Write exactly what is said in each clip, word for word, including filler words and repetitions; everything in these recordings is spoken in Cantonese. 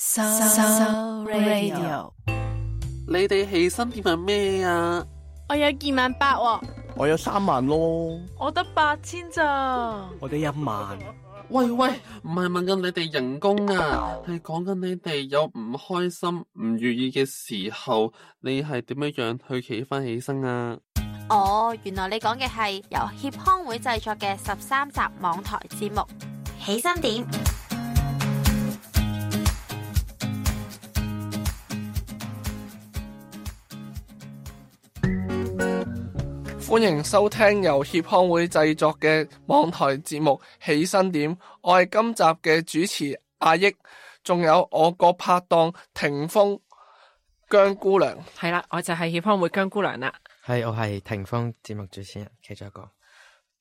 So Radio， 你哋起薪點係咩啊？我有二萬八喎，我有三萬咯，我得八千咋？我得一萬。喂喂，唔係問緊你哋人工啊，係講緊你哋有唔開心、唔如意嘅時候，你係點樣樣去企翻起身啊？哦，原來你講嘅係由協康會製作嘅十三集網台節目《起薪點》。歡迎收聽由協康會製作嘅網台節目《起薪點》，我係今集嘅主持阿益，仲有我個拍檔霆鋒姜姑娘。係啦，我就係協康會姜姑娘啦。係，我係霆鋒節目主持人其中一個。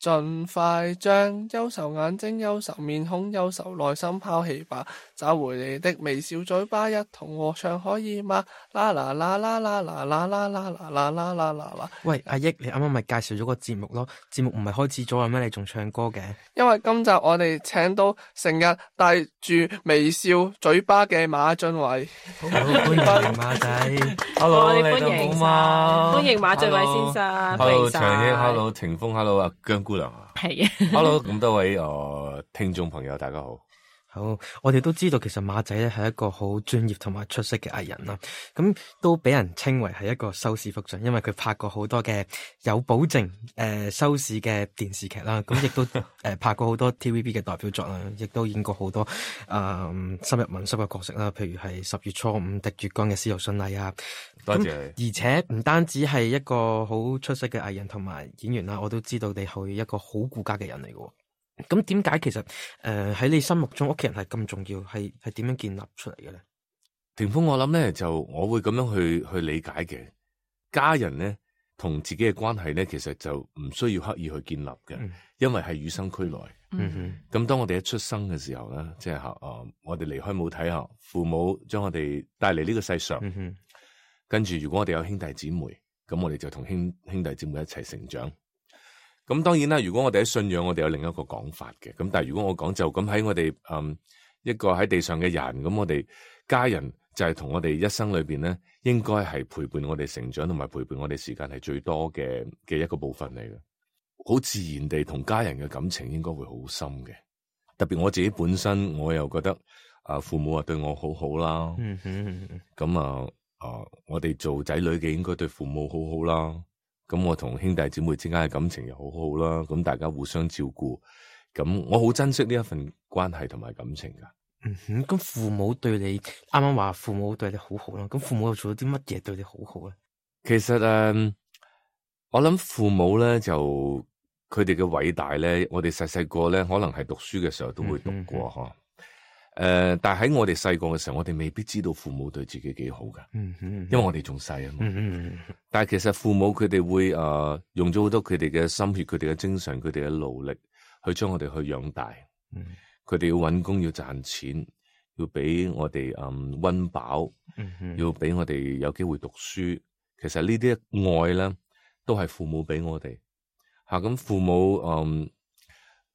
盡快將憂愁眼睛、憂愁面孔、憂愁內心拋棄吧，找回你的微笑嘴巴，一同和唱可以嗎？啦啦啦啦啦啦啦啦啦啦啦啦啦啦！喂，阿益，你啱啱咪介紹咗個節目咯？節目唔係開始咗啦咩？你仲唱歌嘅？因為今集我哋請到成日帶住微笑嘴巴嘅馬浚偉。好，歡迎馬仔。Hello， 你哋歡迎好嗎？歡迎馬浚偉先生。 Hello， 長益 ，Hello， 霆鋒 ，Hello 啊，姜姑娘啊，係啊 ，Hello， 咁多位誒、呃、聽眾朋友，大家好。好，我哋都知道其實馬仔咧係一個好專業同埋出色嘅藝人啦，咁都俾人稱為係一個收視福將，因為佢拍過好多嘅有保證誒、呃、收視嘅電視劇啦，咁亦都誒、呃、拍過好多 T V B 嘅代表作啦，亦都演過好多誒、呃、深入民心嘅角色啦，譬如係十月初五滴月光嘅司徒順麗啊，多謝。而且唔單止係一個好出色嘅藝人同埋演員啦，我都知道你係一個好顧家嘅人嚟嘅。咁點解其實誒喺、呃、你心目中屋企人係咁重要，係係點樣建立出嚟嘅咧？霆鋒，我諗咧就我會咁樣去去理解嘅，家人咧同自己嘅關係咧，其實就唔需要刻意去建立嘅，嗯、因為係與生俱來。嗯哼。咁當我哋一出生嘅時候咧，即係吓誒，我哋離開母體啊，父母將我哋帶嚟呢個世上。嗯哼。跟住，如果我哋有兄弟姊妹，咁我哋就同兄兄弟姊妹一齊成長。咁當然啦，如果我哋喺信仰，我哋有另一個講法嘅。咁但係如果我講就咁喺我哋嗯一個喺地上嘅人，咁我哋家人就係同我哋一生裏邊咧，應該係陪伴我哋成長同埋陪伴我哋時間係最多嘅嘅一個部分嚟嘅。好自然地同家人嘅感情應該會好深嘅。特別我自己本身，我又覺得啊父母啊對我好好啦。嗯哼。咁啊啊，我哋做仔女嘅應該對父母好好啦。咁我同兄弟姊妹之間嘅感情又好好啦，咁大家互相照顧，咁我好珍惜呢一份關係同埋感情噶。嗯哼，咁父母對你啱啱話父母對你好好啦，咁父母又做咗啲乜嘢對你好好咧？其實誒、呃，我諗父母咧就佢哋嘅偉大咧，我哋細細個咧可能係讀書嘅時候都會讀過嗬。嗯誒、呃，但係喺我哋細個嘅時候，我哋未必知道父母對自己幾好噶，嗯嗯，因為我哋仲細啊嘛，嗯嗯，但係其實父母佢哋會誒、呃、用咗好多佢哋嘅心血、佢哋嘅精神、佢哋嘅努力去將我哋去養大，嗯，佢哋要搵工要賺錢，要俾我哋誒溫飽，嗯嗯，要俾我哋有機會讀書。其實呢啲愛咧，都係父母俾我哋吓。咁、啊、父母誒。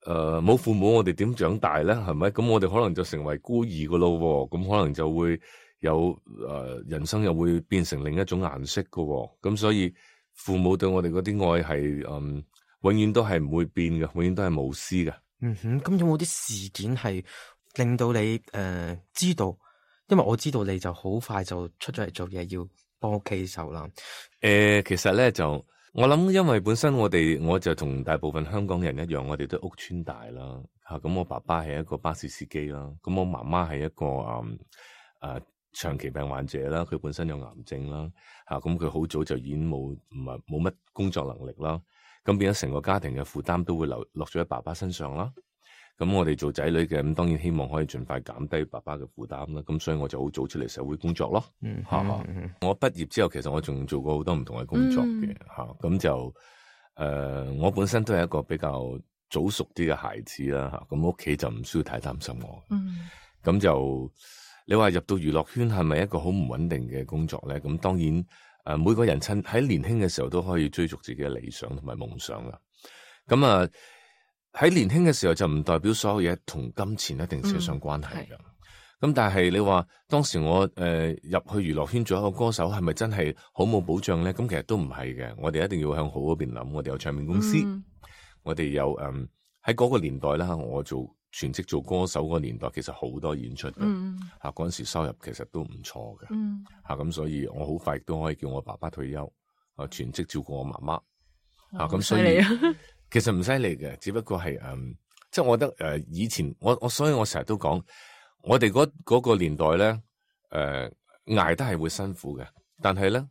誒，冇、呃、父母我哋點長大咧？係咪？咁我哋可能就成為孤兒噶咯，咁可能就會有誒、呃，人生又會變成另一種顏色噶。咁所以父母對我哋嗰啲愛係，嗯，永遠都係唔會變嘅，永遠都係無私嘅。嗯哼，咁有冇啲事件係令到你誒、呃、知道？因為我知道你就好快就出咗嚟做嘢，要幫屋企手啦。誒、呃，其實咧就。我諗，因為本身我哋我就同大部分香港人一樣，我哋都屋村大啦吓。咁我爸爸係一個巴士司機啦，咁我媽媽係一個誒誒、呃、長期病患者啦，佢本身有癌症啦吓。咁佢好早就已經冇唔係冇乜工作能力啦，咁變咗成個家庭嘅負擔都會流落咗喺爸爸身上啦。咁我哋做仔女嘅，咁當然希望可以盡快減低爸爸嘅負擔啦。咁所以我就好早出嚟社會工作咯。嗯，吓、嗯，我畢業之後，其實我仲做過好多唔同嘅工作嘅吓。咁、嗯、就誒、呃，我本身都係一個比較早熟啲嘅孩子啦吓。咁屋企就唔需要太擔心我。嗯，咁就你話入到娛樂圈係咪一個好唔穩定嘅工作咧？咁當然誒、呃，每個人趁喺年輕嘅時候都可以追逐自己嘅理想同埋夢想啦。咁啊。喺年輕嘅時候就唔代表所有嘢同金錢一定扯上關係嘅。咁但係你話當時我誒、呃、入去娛樂圈做一個歌手，係咪真係好冇保障咧？咁其實都唔係嘅，我哋一定要向好嗰邊諗。我哋有唱片公司，嗯、我哋有誒喺嗰個年代啦，我做全職做歌手嗰個年代，其實好多演出嘅，吓嗰陣時收入其實都唔錯嘅，吓咁、嗯、所以我好快都可以叫我爸爸退休，啊全職照顧我媽媽，吓咁、哦、所以其實唔犀利嘅，只不過係誒、嗯，即係我覺得誒、呃、以前我我所以我成日都講。我哋嗰嗰個年代咧，誒、呃、捱得係會辛苦嘅，但係咧，誒、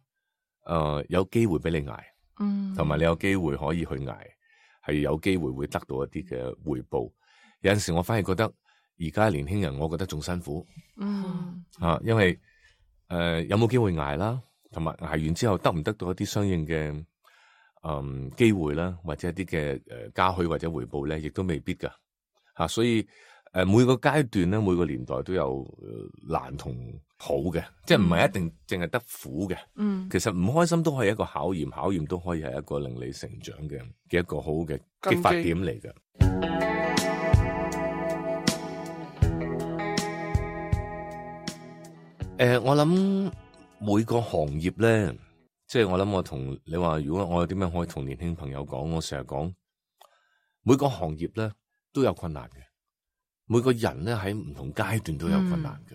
呃、有機會俾你捱，嗯，同埋你有機會可以去捱，係有機會會得到一啲嘅回報。有陣時我反而覺得而家年輕人，我覺得仲辛苦，嗯，啊，因為誒、呃、有冇機會捱啦，同埋捱完之後得唔得到一啲相應嘅誒機會啦，或者一啲嘅誒嘉許或者回報咧，亦都未必噶，吓、啊，所以。誒，每個階段咧，每個年代都有難同好嘅，即係唔係一定淨係得苦嘅。嗯，其實唔開心都係一個考驗，考驗都可以係一個令你成長嘅嘅一個好嘅激發點嚟嘅。誒、呃，我諗每個行業咧，即係我諗我同你話，如果我有點樣可以同年輕朋友講，我成日講每個行業咧都有困難嘅。每個人咧喺唔同階段都有困難嘅，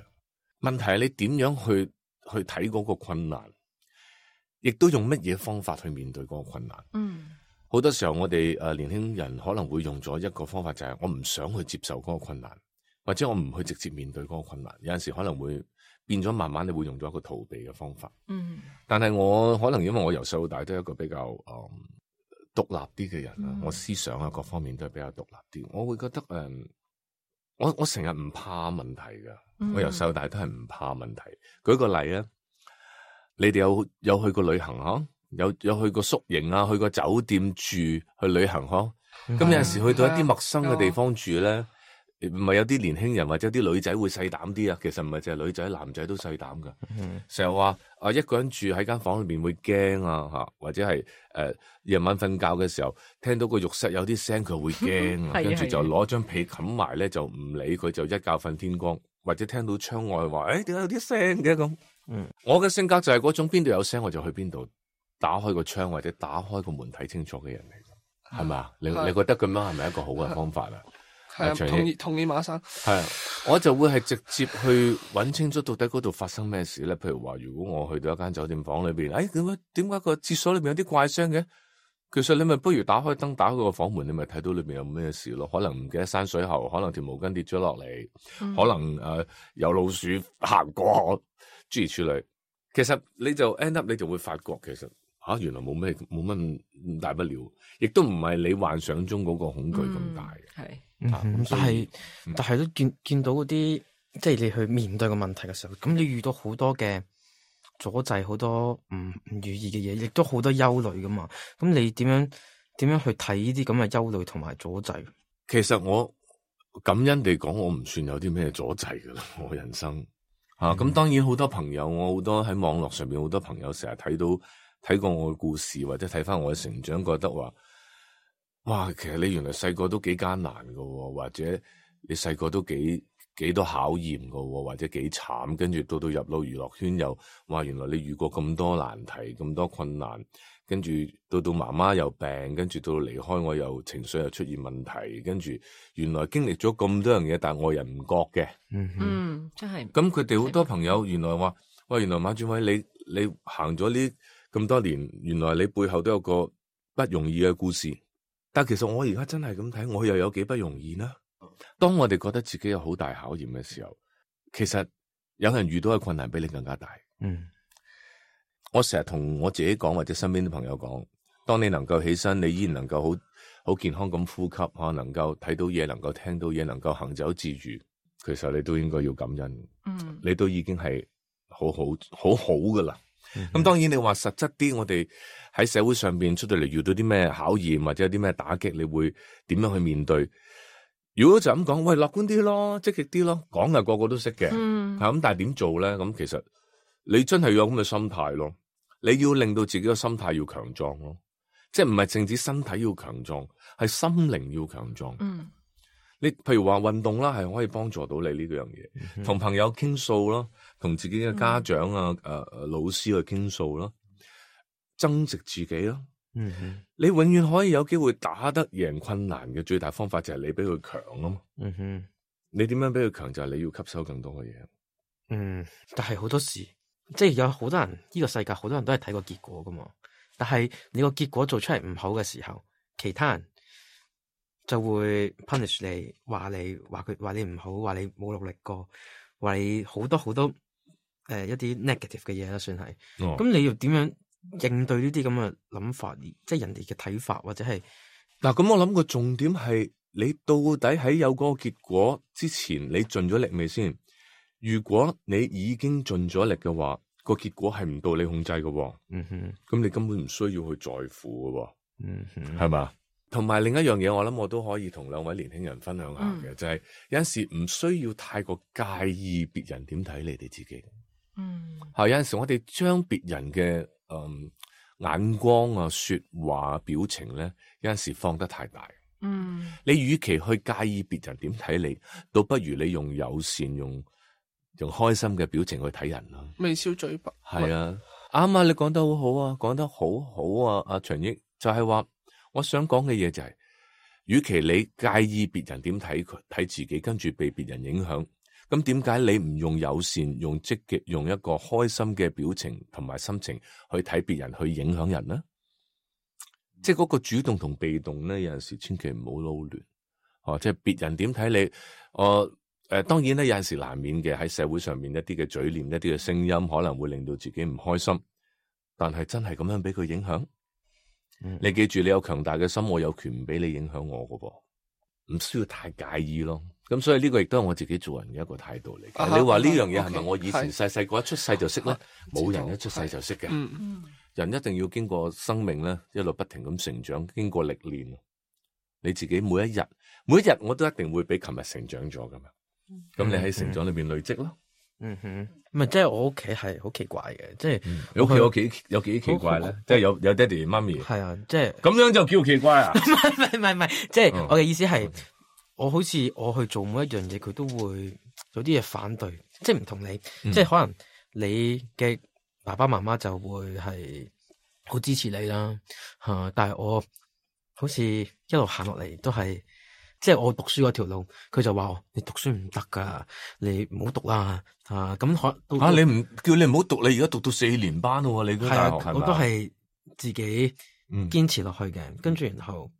嗯、問題係你點樣去去睇嗰個困難，亦都用乜嘢方法去面對嗰個困難。嗯，好多時候我哋誒年輕人可能會用咗一個方法，就係我唔想去接受嗰個困難，或者我唔去直接面對嗰個困難。有陣時可能會變咗，慢慢你會用咗一個逃避嘅方法。嗯，但係我可能因為我由細到大都係一個比較誒、嗯、獨立啲嘅人啦，嗯、我思想啊各方面都係比較獨立啲，我會覺得誒。嗯我我成日唔怕問題㗎，嗯、我由細到大都係唔怕問題。舉個例啊，你哋有有去過旅行嗬？有有去過宿營啊，去過酒店住去旅行嗬？咁、嗯、有陣時去到一啲陌生嘅地方住咧，唔係、嗯、有啲年輕人或者啲女仔會細膽啲啊？其實唔係淨係女仔，男仔都細膽㗎。成日話啊，一個人住喺間房裏邊會驚啊嚇，或者係誒夜晚瞓覺嘅時候聽到個浴室有啲聲，佢會驚啊，跟住就攞張被冚埋咧，就唔理佢，就一覺瞓天光。或者聽到窗外話誒點解有啲聲嘅咁？嗯，我嘅性格就係嗰種邊度有聲我就去邊度，打開個窗或者打開個門睇清楚嘅人嚟，係咪啊？你你覺得咁樣係咪一個好嘅方法啊？係啊，同意同意馬生。係啊，我就會係直接去揾清楚到底嗰度發生咩事咧。譬如話，如果我去到一間酒店房裏邊，誒點解點解個廁所裏邊有啲怪聲嘅？其實你咪不如打開燈，打開個房門，你咪睇到裏邊有咩事咯。可能唔記得閂水喉，可能條毛巾跌咗落嚟，嗯、可能誒、呃、有老鼠行過，諸如此類。其實你就 end up 你就會發覺，其實吓、啊、原來冇咩冇乜咁大不了，亦都唔係你幻想中嗰個恐懼咁大嘅。係、嗯啊嗯，但係、嗯、但係都見見到嗰啲，即係你去面對個問題嘅時候，咁你遇到好多嘅阻滯，好多唔唔如意嘅嘢，亦都好多憂慮噶嘛。咁你點樣點樣去睇呢啲咁嘅憂慮同埋阻滯？其實我感恩地講，我唔算有啲咩阻滯噶啦，我人生吓。咁、嗯啊、當然好多朋友，我好多喺網絡上面好多朋友成日睇到睇過我嘅故事，或者睇翻我嘅成長，覺得話哇，其實你原來細個都幾艱難噶，或者你細個都幾幾多考驗噶，或者幾慘，跟住到到入到娛樂圈又，哇！原來你遇過咁多難題，咁多困難，跟住到到媽媽又病，跟住到到離開我又情緒又出現問題，跟住原來經歷咗咁多樣嘢，但係我人唔覺嘅。嗯哼嗯，真係。咁佢哋好多朋友原來話，喂，原來馬志偉你你行咗呢咁多年，原來你背後都有個不容易嘅故事。但其實我而家真係咁睇，我又有幾不容易呢？當我哋覺得自己有好大考驗嘅時候，其實有人遇到嘅困難比你更加大。嗯，我成日同我自己講，或者身邊啲朋友講，當你能夠起身，你依然能夠好好健康咁呼吸，吓，能夠睇到嘢，能夠聽到嘢，能夠行走自如，其實你都應該要感恩。嗯，你都已經係好好好好噶啦。咁、嗯、當然你話實質啲，我哋喺社會上邊出到嚟遇到啲咩考驗或者有啲咩打擊，你會點樣去面對？如果就咁講，喂，樂觀啲咯，積極啲咯，講係個個都識嘅，嗯，咁但係點做咧？咁其實你真係要有咁嘅心態咯，你要令到自己嘅心態要強壯咯，即係唔係淨止身體要強壯，係心靈要強壯。嗯，你譬如話運動啦，係可以幫助到你呢樣嘢，同、嗯、朋友傾訴咯，同自己嘅家長啊、誒、嗯呃、老師去傾訴咯，增值自己咯。嗯哼，你永遠可以有機會打得贏困難嘅最大方法就係你比佢強啊嘛。嗯哼，你點樣比佢強就係你要吸收更多嘅嘢。嗯，但係好多時即係有好多人呢、呢個世界好多人都係睇個結果噶嘛，但係你個結果做出嚟唔好嘅時候，其他人就會 punish 你，話你話佢話你唔好，話你冇努力過，話你好多好多誒、呃、一啲 negative 嘅嘢啦，算係。咁、哦、你要點樣應對呢啲咁嘅諗法，即係人哋嘅睇法，或者係嗱？咁我諗個重點係你到底喺有嗰個結果之前，你盡咗力未先？如果你已經盡咗力嘅話，個結果係唔到你控制嘅，嗯哼，咁你根本唔需要去在乎嘅，嗯哼，係嘛？同埋另一樣嘢，我諗我都可以同兩位年輕人分享下嘅，嗯、就係有陣時唔需要太過介意別人點睇你哋自己。嗯，係有陣時我哋將別人嘅嗯眼光啊、說話、表情咧，有陣時放得太大。嗯，你與其去介意別人點睇你，倒不如你用友善、用用開心嘅表情去睇人啦。微笑嘴巴。係啊，啱啊！你講得好好啊，講得好好啊，阿長益就係話。我想講嘅嘢就係、是，與其你介意別人點睇佢睇自己，跟住被別人影響，咁點解你唔用友善、用積極、用一個開心嘅表情同埋心情去睇別人，去影響人呢？即係嗰個主動同被動咧，有陣時千祈唔好撈亂。哦、啊，即係別人點睇你，我、啊、誒、呃，當然咧有陣時難免嘅喺社會上面一啲嘅嘴臉、一啲嘅聲音，可能會令到自己唔開心。但係真係咁樣俾佢影響？你記住，你有強大嘅心，我有權唔俾你影響我噶噃，唔需要太介意咯。咁所以呢個亦都係我自己做人嘅一個態度嚟。啊、你話呢樣嘢係咪我以前細細個一出世就識咧？冇人一出世就識嘅。嗯、人一定要經過生命咧，一路不停咁成長，經過歷練。你自己每一日，每一日我都一定會比琴日成長咗噶嘛。咁、嗯、你喺成長裏邊累積咯。嗯哼，唔係即係我屋企係好奇怪嘅，即係你屋企有幾有幾奇怪咧？即係有有爹哋媽咪，係啊，即係咁樣就叫奇怪啊？唔係唔係唔係，即係我嘅意思係，嗯、我好似我去做每一樣嘢，佢都會有啲嘢反對，即係唔同你，嗯、即係可能你嘅爸爸媽媽就會係好支持你啦，吓，但係我好似一路行落嚟都係。即係我讀書嗰條路，佢就話你讀書唔得噶，你唔好讀啦啊！咁可啊，你唔叫你唔好讀，你而家讀到四年班咯，你嗰大學係嘛？我都係自己堅持落去嘅，嗯、跟住然後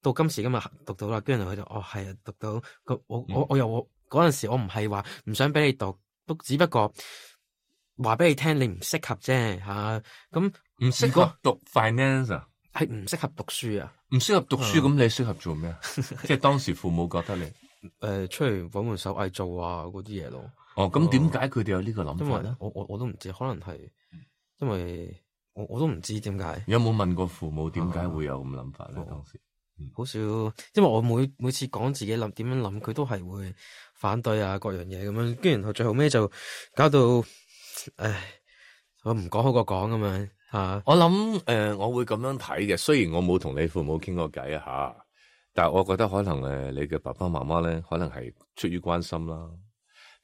到今時今日讀到啦，跟住佢就哦係啊，讀到我我、嗯、我又我嗰陣時我唔係話唔想俾你讀，都只不過話俾你聽你唔適合啫吓，咁唔適合讀 finance 啊？係唔適合讀書啊？唔適合讀書，咁、嗯、你適合做咩啊？即係當時父母覺得你誒、呃、出嚟搵門手藝做啊嗰啲嘢咯。哦，咁點解佢哋有呢個諗法咧？我我我都唔知，可能係因為我我都唔知點解。有冇問過父母點解會有咁諗法咧？嗯、當時好少，因為我每每次講自己諗點樣諗，佢都係會反對啊各樣嘢咁樣，跟住然後最後尾就搞到唉，我唔講好過講咁樣。啊！我諗誒、呃，我會咁樣睇嘅。雖然我冇同你父母傾過偈啊吓，但係我覺得可能誒，你嘅爸爸媽媽咧，可能係出於關心啦，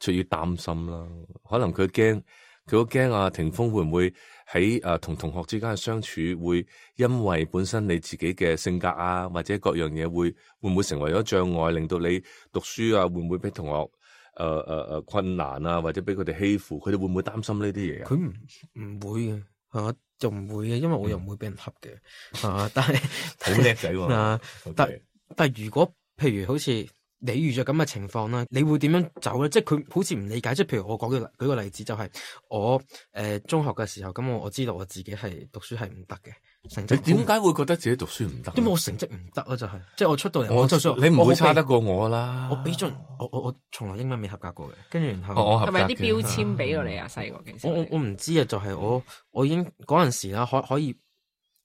出於擔心啦。可能佢驚，佢好驚啊！霆鋒會唔會喺誒同同學之間嘅相處，會因為本身你自己嘅性格啊，或者各樣嘢，會會唔會成為咗障礙，令到你讀書啊，會唔會俾同學誒誒誒困難啊，或者俾佢哋欺負？佢哋會唔會擔心呢啲嘢啊？佢唔唔會嘅。啊，就唔會嘅，因為我又唔會俾人恰嘅，嗯、啊，但係好叻仔喎，啊，但但係如果譬如好似你遇着咁嘅情況啦，你會點樣走咧？即係佢好似唔理解，即係譬如我講嘅舉個例子，就係我誒、呃、中學嘅時候，咁我我知道我自己係讀書係唔得嘅。成績你點解會覺得自己讀書唔得？因為我成績唔得啊，就係、是、即係我出到嚟，我就算你唔會差得過我啦。我俾盡我我我從來英文未合格過嘅，跟住然後係咪有啲標籤俾到你啊？細個嘅時候，我我唔知啊，就係、是、我我已經嗰陣時啦，可可以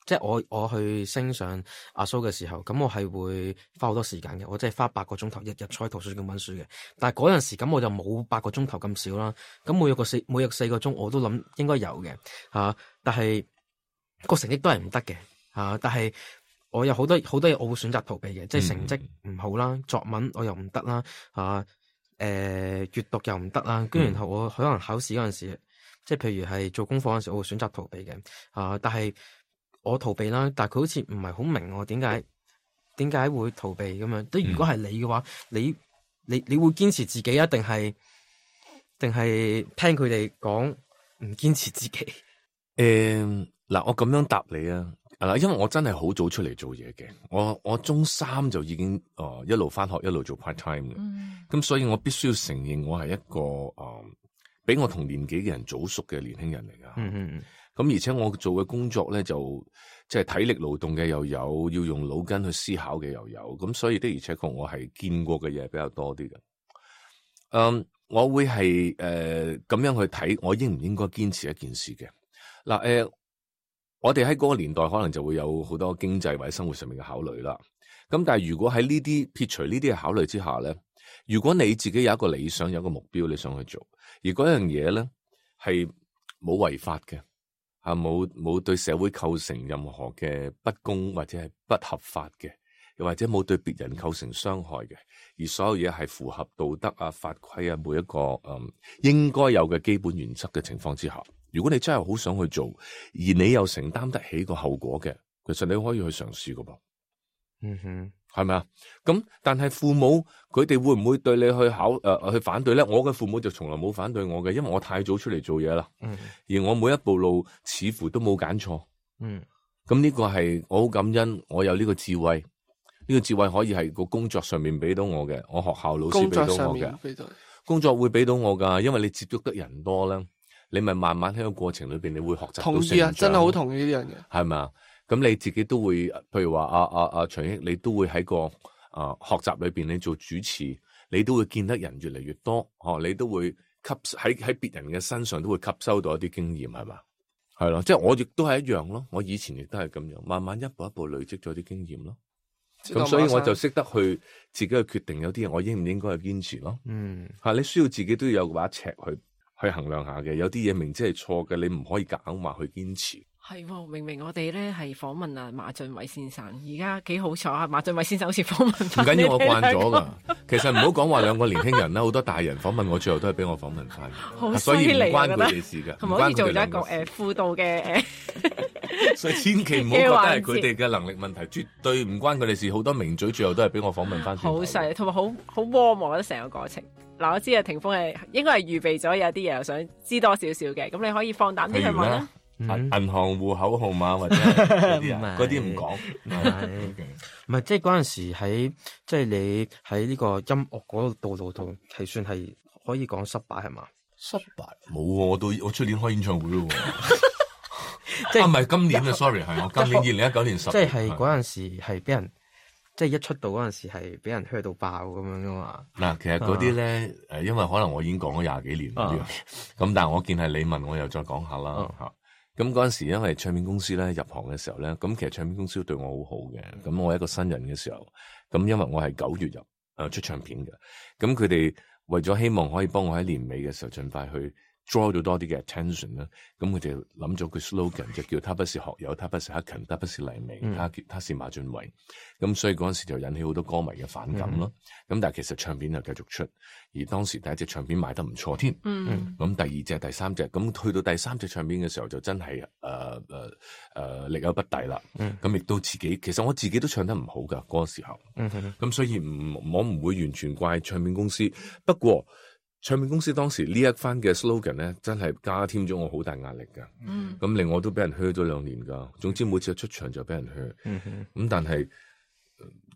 即係我我去升上阿蘇嘅時候，咁我係會花好多時間嘅，我真係花八個鐘頭日日坐喺圖書館溫書嘅。但係嗰陣時咁我就冇八個鐘頭咁少啦，咁每日個四每日四個鐘我都諗應該有嘅吓，但係。個成績都係唔得嘅，吓！但係我有好多好多嘢我會選擇逃避嘅，即係成績唔好啦，作文我又唔得啦，啊，誒、呃，閱讀又唔得啦，跟住然後我可能考試嗰陣時，即係譬如係做功課嗰陣時，我會選擇逃避嘅，啊，但係我逃避啦，但係佢好似唔係好明我點解點解會逃避咁樣。即如果係你嘅話，你你你會堅持自己啊，定係定係聽佢哋講唔堅持自己？誒、嗯，嗱，我咁樣答你啊。嗱，因為我真係好早出嚟做嘢嘅，我我中三就已經誒、呃、一路返學一路做 part time 嘅，咁、嗯、所以我必須要承認我係一個誒、呃、比我同年紀嘅人早熟嘅年輕人嚟㗎。嗯嗯，咁而且我做嘅工作咧就即係體力勞動嘅又有，要用腦筋去思考嘅又有，咁所以的而且確我係見過嘅嘢比較多啲嘅。嗯，我會係誒咁樣去睇，我應唔應該堅持一件事嘅。嗱、呃、誒。我哋喺嗰個年代可能就會有好多經濟或者生活上面嘅考慮啦。咁但係如果喺呢啲撇除呢啲嘅考慮之下咧，如果你自己有一個理想，有一個目標你想去做，而嗰樣嘢咧係冇違法嘅，啊冇冇對社會構成任何嘅不公或者係不合法嘅，又或者冇對別人構成傷害嘅，而所有嘢係符合道德啊、法規啊每一個嗯應該有嘅基本原則嘅情況之下。如果你真係好想去做，而你又承擔得起個後果嘅，其實你可以去嘗試噶噃。嗯哼，係咪啊？咁但係父母佢哋會唔會對你去考誒、呃、去反對咧？我嘅父母就從來冇反對我嘅，因為我太早出嚟做嘢啦。嗯，而我每一步路似乎都冇揀錯。嗯，咁呢個係我好感恩，我有呢個智慧。呢、呢個智慧可以係個工作上面俾到我嘅，我學校老師俾到我嘅。工作會俾到我噶，因為你接觸得人多咧。你咪慢慢喺個過程裏邊，你會學習到成長。同意啊，真係好同意呢樣嘢。係咪啊？咁你自己都會，譬如話阿阿阿長益，你都會喺個啊、呃、學習裏邊，你做主持，你都會見得人越嚟越多，哦，你都會吸喺喺別人嘅身上都會吸收到一啲經驗，係嘛？係咯，即係我亦都係一樣咯。我以前亦都係咁樣，慢慢一步一步累積咗啲經驗咯。咁所以我就識得去自己去決定有啲嘢我應唔應該去堅持咯。嗯，係你需要自己都要有把尺去。去衡量下嘅，有啲嘢明知係錯嘅，你唔可以夾硬話去堅持。係、哦，明明我哋咧係訪問啊馬浚偉先生，而家幾好彩啊！馬浚偉先生好似訪問翻。唔緊要，我慣咗噶。其實唔好講話兩個年輕人啦，好多大人訪問我，最後都係俾我訪問翻。好犀利，所以唔關佢哋事噶。同埋好似做咗一個誒輔導嘅誒。所以千祈唔好覺得係佢哋嘅能力問題，絕對唔關佢哋事。好多名嘴最後都係俾我訪問翻。好犀利，同埋好好 warm，我覺得成個過程。嗱，我知啊，霆鋒係應該係預備咗有啲嘢，又想知多少少嘅，咁你可以放膽啲去問啦。銀、嗯、行戶口號碼或者嗰啲嗰啲唔講，唔係即係嗰陣時喺即係你喺呢個音樂嗰個道路度係算係可以講失敗係嘛？失敗冇喎，我到我出年開演唱會咯喎，即係唔係今年啊 ？Sorry， 係我今年二零一九年十，即係嗰陣時係俾人。即係一出道嗰陣時係俾人 hurt 到爆咁樣噶嘛？嗱，其實嗰啲咧誒，因為可能我已經講咗廿幾年啦，咁、啊、但係我見係你問，我又再講下啦嚇。咁嗰陣時因為唱片公司咧入行嘅時候咧，咁其實唱片公司都對我好好嘅。咁我一個新人嘅時候，咁因為我係九月入誒、呃、出唱片嘅，咁佢哋為咗希望可以幫我喺年尾嘅時候盡快去 draw 到多啲嘅 attention 啦，咁佢哋諗咗句 slogan 就叫他不是學友，他不是克勤，他不是黎明，嗯、他他是馬浚偉。咁所以嗰陣時就引起好多歌迷嘅反感咯。咁、嗯、但係其實唱片就繼續出，而當時第一隻唱片賣得唔錯添。咁、嗯、第二隻、第三隻，咁去到第三隻唱片嘅時候就真係誒誒誒力有不逮啦。咁亦都自己，其實我自己都唱得唔好噶嗰、那個時候。咁、嗯、所以唔我唔會完全怪唱片公司，不過。唱片公司當時呢一番嘅 slogan 咧，真係加添咗我好大壓力噶。咁、嗯、令我都俾人嘘咗兩年噶。總之每次出場就俾人嘘。咁、嗯、但係，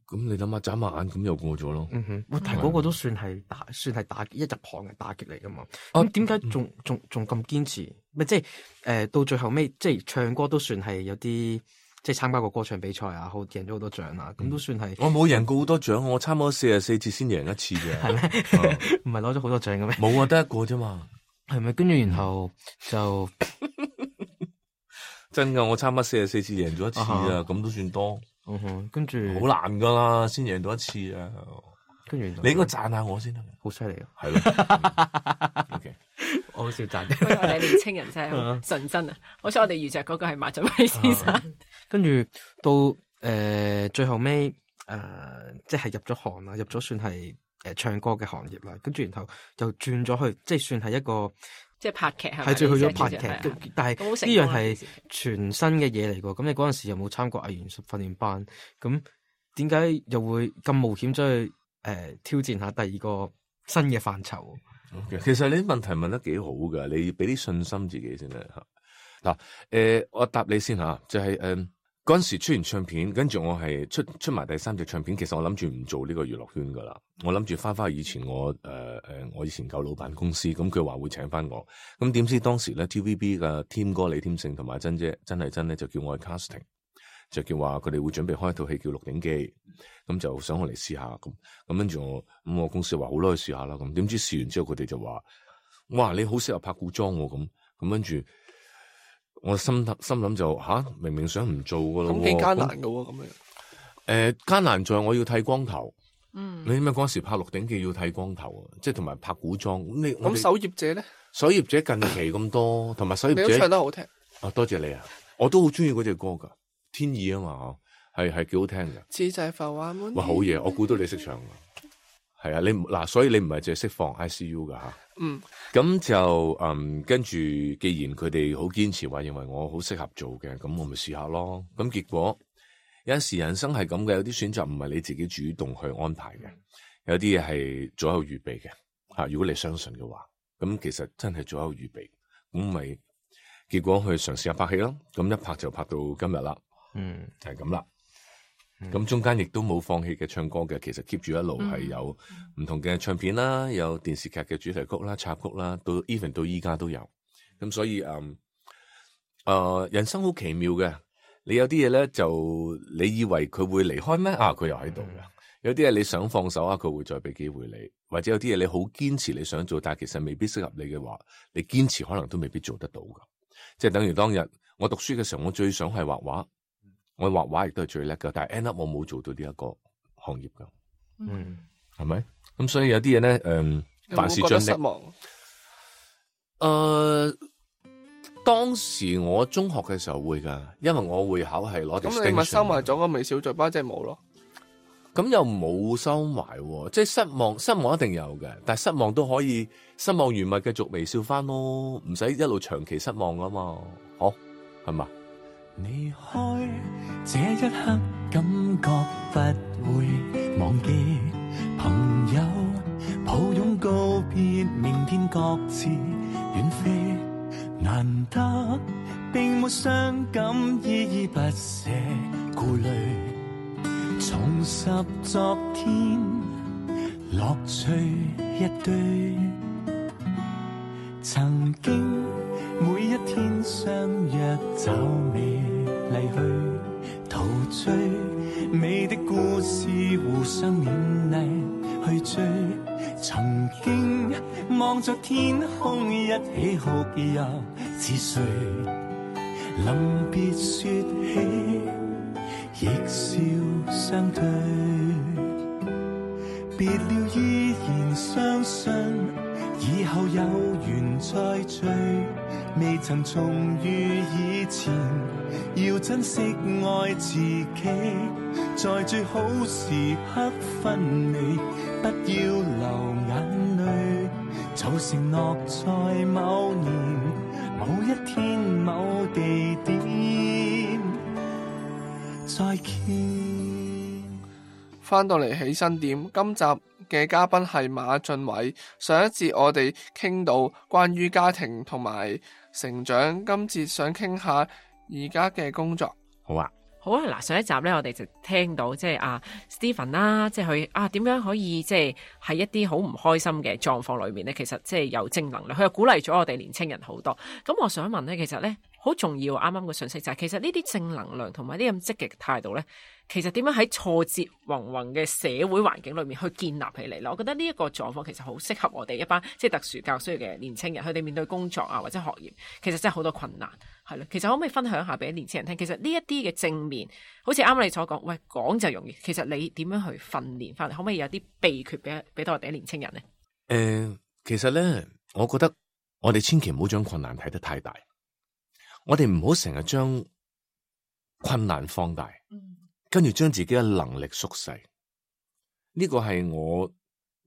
咁你諗下眨下眼咁又過咗咯。嗯、但係嗰個都算係打，算係打一入行嘅打擊嚟噶嘛。咁點解仲仲仲咁堅持？咪即係誒，到最後尾即係唱歌都算係有啲。即係參加過歌唱比賽啊，好贏咗好多獎啊，咁、嗯、都算係。我冇贏過好多獎，我參加四十四次先贏一次嘅。係咩？唔係攞咗好多獎嘅咩？冇啊，得一個啫嘛。係咪？跟住然後就真噶，我參加四十四次贏咗一次啊，咁都算多。嗯哼，跟住好難噶啦，先贏到一次啊。跟住你應該讚下我先得，好犀利啊！係咯。O K。我好少讚，我哋年青人真係好純真啊！好彩我哋遇着嗰個係馬浚偉先生。跟住到呃、最後尾誒、呃、即係入咗行啦，入咗算係誒、呃、唱歌嘅行業啦，跟住然後又轉咗去，即係算係一個即係拍劇係咪？係最去咗拍劇，但係呢樣係係全新嘅嘢嚟㗎。咁你嗰陣時有冇參過藝員訓練班？咁點解又會咁冒險走去誒、呃、挑戰下第二個新嘅範疇？其實你啲問題問得幾好噶，你俾啲信心自己先啦吓。嗱，誒，我答你先吓，就係誒嗰陣時出完唱片，跟住我係出出埋第三隻唱片。其實我諗住唔做呢個娛樂圈噶啦，我諗住翻翻去以前我誒誒、呃、我以前舊老闆公司，咁佢話會請翻我，咁點知當時咧 T V B 嘅添哥李添勝同埋珍姐真係真咧就叫我去 casting。就叫話佢哋會準備開一套戲叫《鹿鼎記》，咁就想我嚟試下咁，咁跟住我咁我公司話好啦，去試下啦，咁點知試完之後佢哋就話，哇你好適合拍古裝喎，咁咁跟住我心心諗就吓、啊，明明想唔做噶咯，咁幾艱難噶喎，咁樣誒艱難在我要剃光頭，嗯，你點解嗰時拍《鹿鼎記》要剃光頭啊？即係同埋拍古裝，咁你咁守業者咧？守業者近期咁多，同埋守業者你都唱得好聽，啊多謝你啊，我都好中意嗰隻歌噶。天意啊嘛，係係幾好聽嘅。似就係浮華滿。哇，好嘢！我估到你識唱㗎，係啊，你嗱，所以你唔係淨係釋放 I C U 噶吓。嗯，咁就嗯跟住，既然佢哋好堅持話認為我好適合做嘅，咁我咪試下咯。咁結果有陣時人生係咁嘅，有啲選擇唔係你自己主動去安排嘅，有啲嘢係早有預備嘅吓。如果你相信嘅話，咁其實真係早有預備，咁咪結果去嘗試下拍戲咯。咁一拍就拍到今日啦。嗯，就係咁啦。咁、嗯、中間亦都冇放棄嘅唱歌嘅，其實 keep 住一路係有唔同嘅唱片啦，有電視劇嘅主題曲啦、插曲啦，到 even 到依家都有。咁所以誒，誒、呃，人生好奇妙嘅。你有啲嘢咧，就你以為佢會離開咩？啊，佢又喺度嘅。嗯、有啲嘢你想放手啊，佢會再俾機會你。或者有啲嘢你好堅持你想做，但係其實未必適合你嘅話，你堅持可能都未必做得到噶。即係等於當日我讀書嘅時候，我最想係畫畫。我畫畫亦都係最叻噶，但係 end up 我冇做到呢一個行業噶，嗯，係咪？咁所以有啲嘢咧，誒、嗯，凡事盡力。有冇覺得失望？誒、呃，當時我中學嘅時候會噶，因為我會考係攞。咁你咪收埋咗個微笑嘴巴，即係冇咯？咁又冇收埋，即係失望，失望一定有嘅，但係失望都可以，失望完咪繼續微笑翻咯，唔使一路長期失望噶嘛，好係嘛？離開這一刻，感覺不會忘記朋友，抱擁告別，明天各自遠飛。難得並沒傷感，依依不捨顧慮，重拾昨天樂趣一堆。曾經每一天相約找你離去，陶醉美的故事互相勉勵去追。曾經望着天空一起哭泣似睡，臨別說起亦笑相對，別了依然相信以後有緣再聚，未曾重遇以前，要珍惜愛自己，在最好時刻分離，不要流眼淚，就承諾在某年某一天某地點再見。翻到嚟起身點，今集嘅嘉賓係馬浚偉。上一節我哋傾到關於家庭同埋成長，今節想傾下而家嘅工作。好啊，好啊。嗱，上一集咧，我哋就聽到即係阿 Stephen 啦，即係佢啊點樣可以即係喺一啲好唔開心嘅狀況裏面咧，其實即係有正能量。佢又鼓勵咗我哋年青人好多。咁我想問咧，其實咧好重要，啱啱個信息就係、是，其實呢啲正能量同埋啲咁積極嘅態度咧，其實點樣喺挫折宏宏嘅社會環境裏面去建立起嚟咧？我覺得呢一個狀況其實好適合我哋一班即係特殊教需要嘅年青人，佢哋面對工作啊或者學業，其實真係好多困難，係咯。其實可唔可以分享下俾年青人聽？其實呢一啲嘅正面，好似啱啱你所講，喂，講就容易，其實你點樣去訓練翻嚟？可唔可以有啲秘訣俾俾到我哋啲年青人咧？誒、呃，其實咧，我覺得我哋千祈唔好將困難睇得太大，我哋唔好成日將困難放大。嗯，跟住將自己嘅能力縮細。呢個係我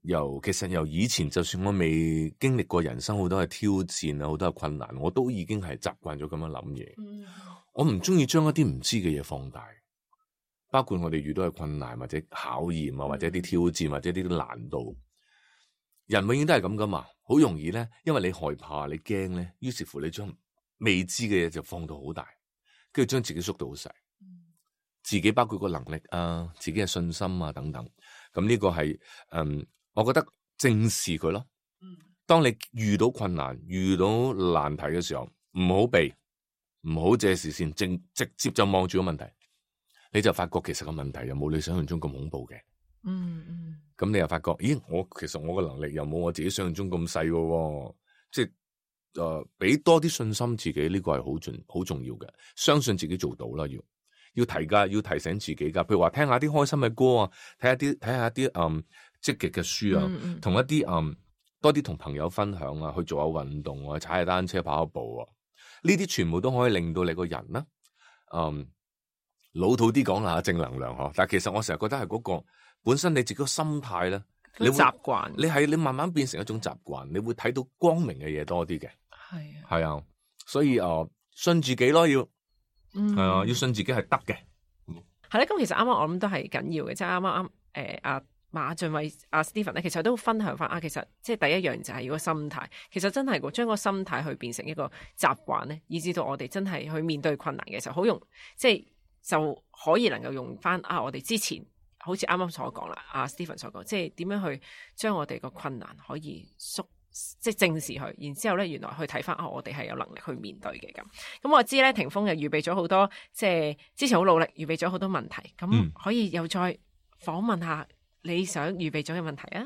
由其實由以前，就算我未經歷過人生好多嘅挑戰啊，好多嘅困難，我都已經係習慣咗咁樣諗嘢。嗯、我唔中意將一啲唔知嘅嘢放大，包括我哋遇到嘅困難或者考驗啊，或者啲挑戰或者啲難度。人永遠都係咁噶嘛，好容易咧，因為你害怕你驚咧，於是乎你將未知嘅嘢就放到好大，跟住將自己縮到好細。自己包括個能力啊，自己嘅信心啊等等，咁呢個係嗯，我覺得正視佢咯。當你遇到困難、遇到難題嘅時候，唔好避，唔好借視線，正直接就望住個問題，你就發覺其實個問題又冇你想象中咁恐怖嘅。嗯嗯。咁你又發覺，咦？我其實我嘅能力又冇我自己想象中咁細嘅，即係誒，俾、呃、多啲信心自己，呢、這個係好重好重要嘅，相信自己做到啦，要。要提噶，要提醒自己噶。譬如話聽下啲開心嘅歌啊，睇下啲睇下啲嗯積極嘅書啊，同、嗯、一啲嗯多啲同朋友分享啊，去做下運動啊，踩下單車、跑下步啊，呢啲全部都可以令到你個人啦。嗯，老土啲講下正能量嗬，但係其實我成日覺得係嗰個本身你自己個心態咧，你習慣，你係你慢慢變成一種習慣，你會睇到光明嘅嘢多啲嘅。係啊，係啊，所以誒、呃、信自己咯要。嗯，係啊，要信自己係得嘅。係咧，咁其實啱啱我諗都係緊要嘅，即係啱啱啱誒阿馬浚偉阿 Stephen 咧，其實都分享翻啊，其實即係第一樣就係要個心態，其實真係個將個心態去變成一個習慣咧，以至到我哋真係去面對困難嘅時候，好容即係就可以能夠用翻啊，我哋之前好似啱啱所講啦，阿 Stephen 所講，即係點樣去將我哋個困難可以縮。即係正視佢，然之後咧，原來去睇翻啊，我哋係有能力去面對嘅咁。咁我知咧，霆鋒又預備咗好多，即係之前好努力預備咗好多問題，咁可以又再訪問下你想預備咗嘅問題啊？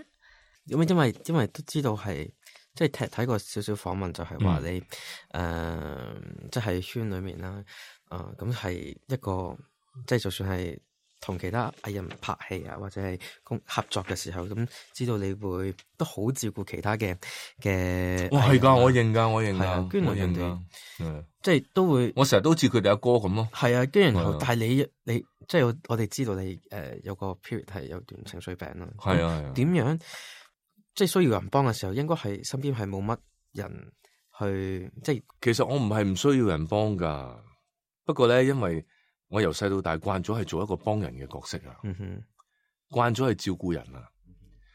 因為因為因為都知道係即係睇睇過少少訪問，就係話你誒，即係圈裏面啦，啊咁係一個即係就算係。同其他藝人拍戲啊，或者係共合作嘅時候，咁知道你會都好照顧其他嘅嘅。哇，係噶，我認噶，我認噶，跟住人哋，即係都會。我成日都好似佢哋阿哥咁咯。係啊，跟住然後，但係你你即係我哋知道你誒、呃、有個 period 係有段情緒病啦。係啊係啊。點樣即係需要人幫嘅時候，應該係身邊係冇乜人去即係。其實我唔係唔需要人幫噶，不過咧，因為。我由細到大慣咗係做一個幫人嘅角色啊，嗯哼，慣咗係照顧人啊，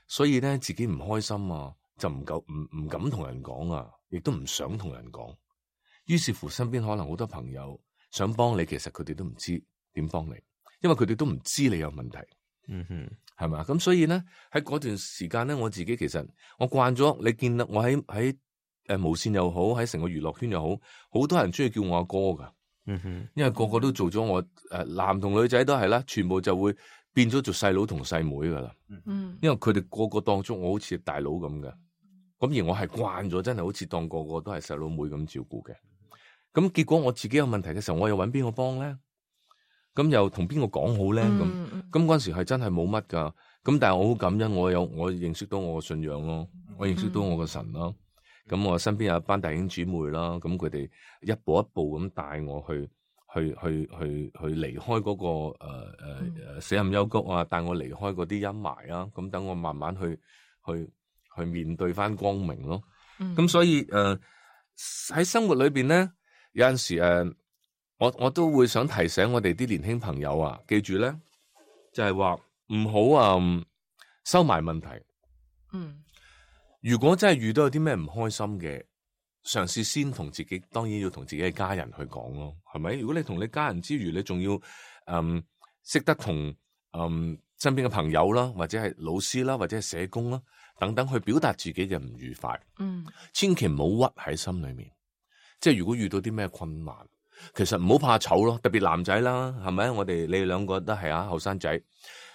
所以咧自己唔開心啊，就唔夠唔唔敢同人講啊，亦都唔想同人講。於是乎，身邊可能好多朋友想幫你，其實佢哋都唔知點幫你，因為佢哋都唔知你有問題。嗯哼，係咪？咁所以咧喺嗰段時間咧，我自己其實我慣咗，你見到我喺喺誒無線又好，喺成個娛樂圈又好，好多人中意叫我阿哥噶。嗯哼，因為個個都做咗我誒，男同女仔都係啦，全部就會變咗做細佬同細妹噶啦。嗯，因為佢哋個個當中我好似大佬咁嘅，咁而我係慣咗，真係好似當個個都係細佬妹咁照顧嘅。咁結果我自己有問題嘅時候，我又揾邊個幫咧？咁又同邊個講好咧？咁咁嗰陣時係真係冇乜噶。咁但係我好感恩，我有我認識到我嘅信仰咯，我認識到我嘅神啦。咁我身邊有一班弟兄姊妹啦，咁佢哋一步一步咁帶我去，去去去去離開嗰、那個誒誒誒死蔭幽谷啊，帶我離開嗰啲陰霾啊，咁等我慢慢去去去面對翻光明咯。咁、嗯、所以誒喺、呃、生活裏邊咧，有陣時誒、呃，我我都會想提醒我哋啲年輕朋友啊，記住咧，就係話唔好啊、呃、收埋問題。嗯。如果真係遇到有啲咩唔開心嘅，嘗試先同自己，當然要同自己嘅家人去講咯，係咪？如果你同你家人之餘，你仲要嗯識得同嗯身邊嘅朋友啦，或者係老師啦，或者係社工啦等等，去表達自己嘅唔愉快。嗯，千祈唔好屈喺心裏面。即係如果遇到啲咩困難，其實唔好怕醜咯，特別男仔啦，係咪？我哋你哋兩個都係啊，後生仔。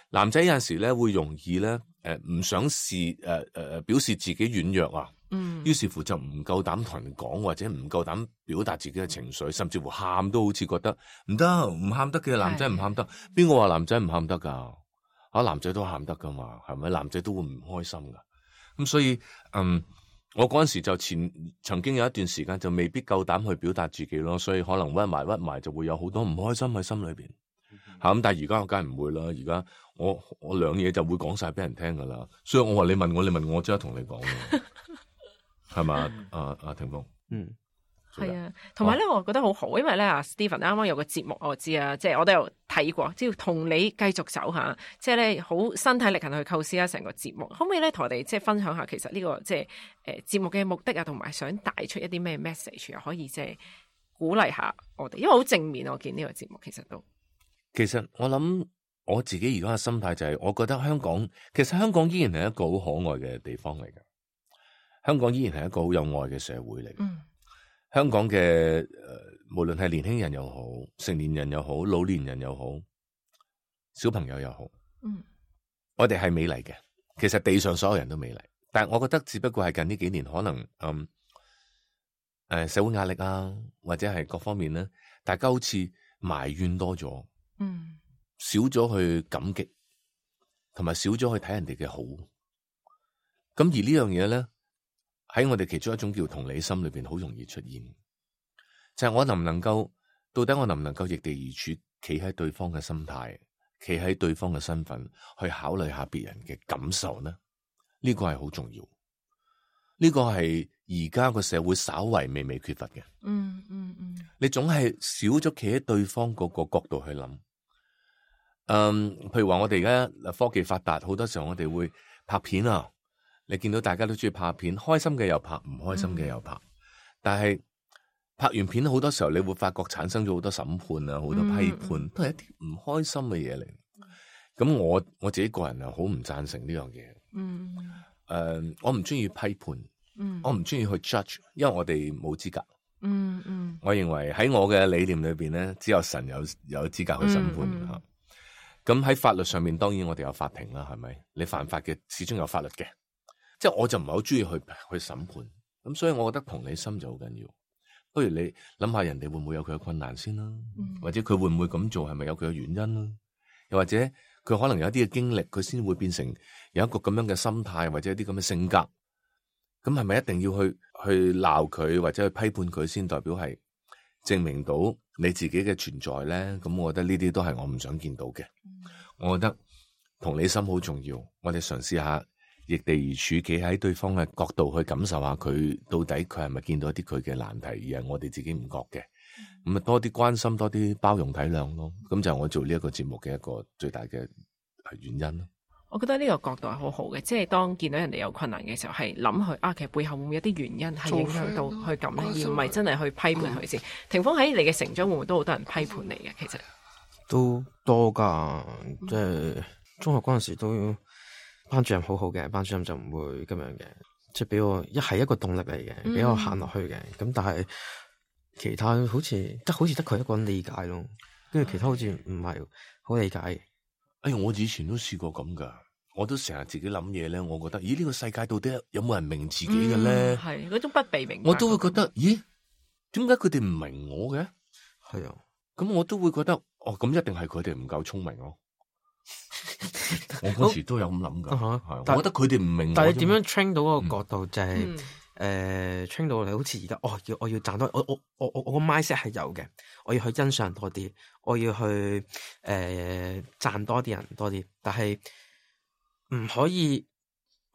男仔有陣時咧會容易咧，誒、呃、唔想試，誒誒誒表示自己軟弱啊，嗯，於是乎就唔夠膽同人講，或者唔夠膽表達自己嘅情緒，甚至乎喊都好似覺得唔得，唔喊得嘅，男仔唔喊得，邊個話男仔唔喊得噶？啊，男仔都喊得噶嘛，係咪？男仔都會唔開心噶，咁所以，嗯，我嗰陣時就前曾經有一段時間就未必夠膽去表達自己咯，所以可能屈埋屈埋就會有好多唔開心喺心裏邊。咁但係而家我梗係唔會啦，而家我我兩嘢就會講晒俾人聽噶啦，所以我話你問我，你問我即刻同你講，係嘛？阿阿霆鋒，嗯。係啊，同埋咧，我覺得好好，因為咧，阿 Stephen 啱啱有個節目我知啊，即係我都有睇過，只要同你繼續走下，即係咧好身體力行去構思啊成個節目，可唔可以咧同我哋即係分享下，其實呢、這個即係誒節目嘅目的啊，同埋想帶出一啲咩 message，又可以即係鼓勵下我哋，因為好正面，我見呢個節目其實都。其實我諗我自己而家嘅心態就係、是，我覺得香港其實香港依然係一個好可愛嘅地方嚟嘅，香港依然係一個好有愛嘅社會嚟。嗯。香港嘅誒、呃，無論係年輕人又好，成年人又好，老年人又好，小朋友又好，嗯，我哋係美麗嘅。其實地上所有人都美麗，但係我覺得只不過係近呢幾年可能，嗯，誒、呃，社會壓力啊，或者係各方面咧，大家好似埋怨多咗，嗯，少咗去感激，同埋少咗去睇人哋嘅好。咁而呢樣嘢咧，喺我哋其中一種叫同理心裏邊，好容易出現，就係、是、我能唔能夠，到底我能唔能夠易地而處，企喺對方嘅心態，企喺對方嘅身份，去考慮下別人嘅感受呢？呢、這個係好重要，呢、這個係而家個社會稍為微微缺乏嘅。嗯嗯嗯，你總係少咗企喺對方嗰個角度去諗。嗯，譬如話我哋而家科技發達，好多時候我哋會拍片啊。你見到大家都中意拍片，開心嘅又拍，唔開心嘅又拍。嗯、但係拍完片好多時候，你會發覺產生咗好多審判啊，好多批判，嗯、都係一啲唔開心嘅嘢嚟。咁、嗯、我我自己個人又好唔贊成呢樣嘢。嗯，誒、呃，我唔中意批判，嗯、我唔中意去 judge，因為我哋冇資格。嗯嗯，我認為喺我嘅理念裏邊咧，只有神有有資格去審判吓。咁喺、嗯嗯、法律上面，當然我哋有法庭啦，係咪？你犯法嘅，始終有法律嘅。即係我就唔係好中意去去審判，咁所以我覺得同理心就好緊要。不如你諗下人哋會唔會有佢嘅困難先啦，嗯、或者佢會唔會咁做係咪有佢嘅原因啦？又或者佢可能有一啲嘅經歷，佢先會變成有一個咁樣嘅心態，或者一啲咁嘅性格。咁係咪一定要去去鬧佢或者去批判佢先代表係證明到你自己嘅存在咧？咁我覺得呢啲都係我唔想見到嘅。嗯、我覺得同理心好重要，我哋嘗試下。易地而處，企喺對方嘅角度去感受下佢到底佢係咪見到一啲佢嘅難題，而係我哋自己唔覺嘅。咁啊、嗯、多啲關心，多啲包容體諒咯。咁就係我做呢一個節目嘅一個最大嘅原因咯。我覺得呢個角度係好好嘅，即係當見到人哋有困難嘅時候，係諗佢啊，其實背後會唔會有啲原因係影響到佢咁咧，而唔係真係去批判佢先。霆鋒喺你嘅成長會唔會都好多人批判你嘅？其實都多噶，即係中學嗰陣時都。班主任好好嘅，班主任就唔會咁樣嘅，即係俾我一係一個動力嚟嘅，俾、嗯、我行落去嘅。咁但係其他好似得好似得佢一個人理解咯，跟住其他好似唔係好理解。哎，我以前都試過咁噶，我都成日自己諗嘢咧。我覺得，咦呢、這個世界到底有冇人明自己嘅咧？係嗰種不被明白，我都會覺得，咦？點解佢哋唔明我嘅？係啊，咁我都會覺得，哦，咁一定係佢哋唔夠聰明咯。我嗰時都有咁諗噶，係，我覺得佢哋唔明。但係你點樣 train 到嗰個角度，就係誒 train 到你好似而家，哦，要我要賺多，我我我我我個 mindset 係有嘅，我要去欣賞多啲，我要去誒讚多啲人多啲，但係唔可以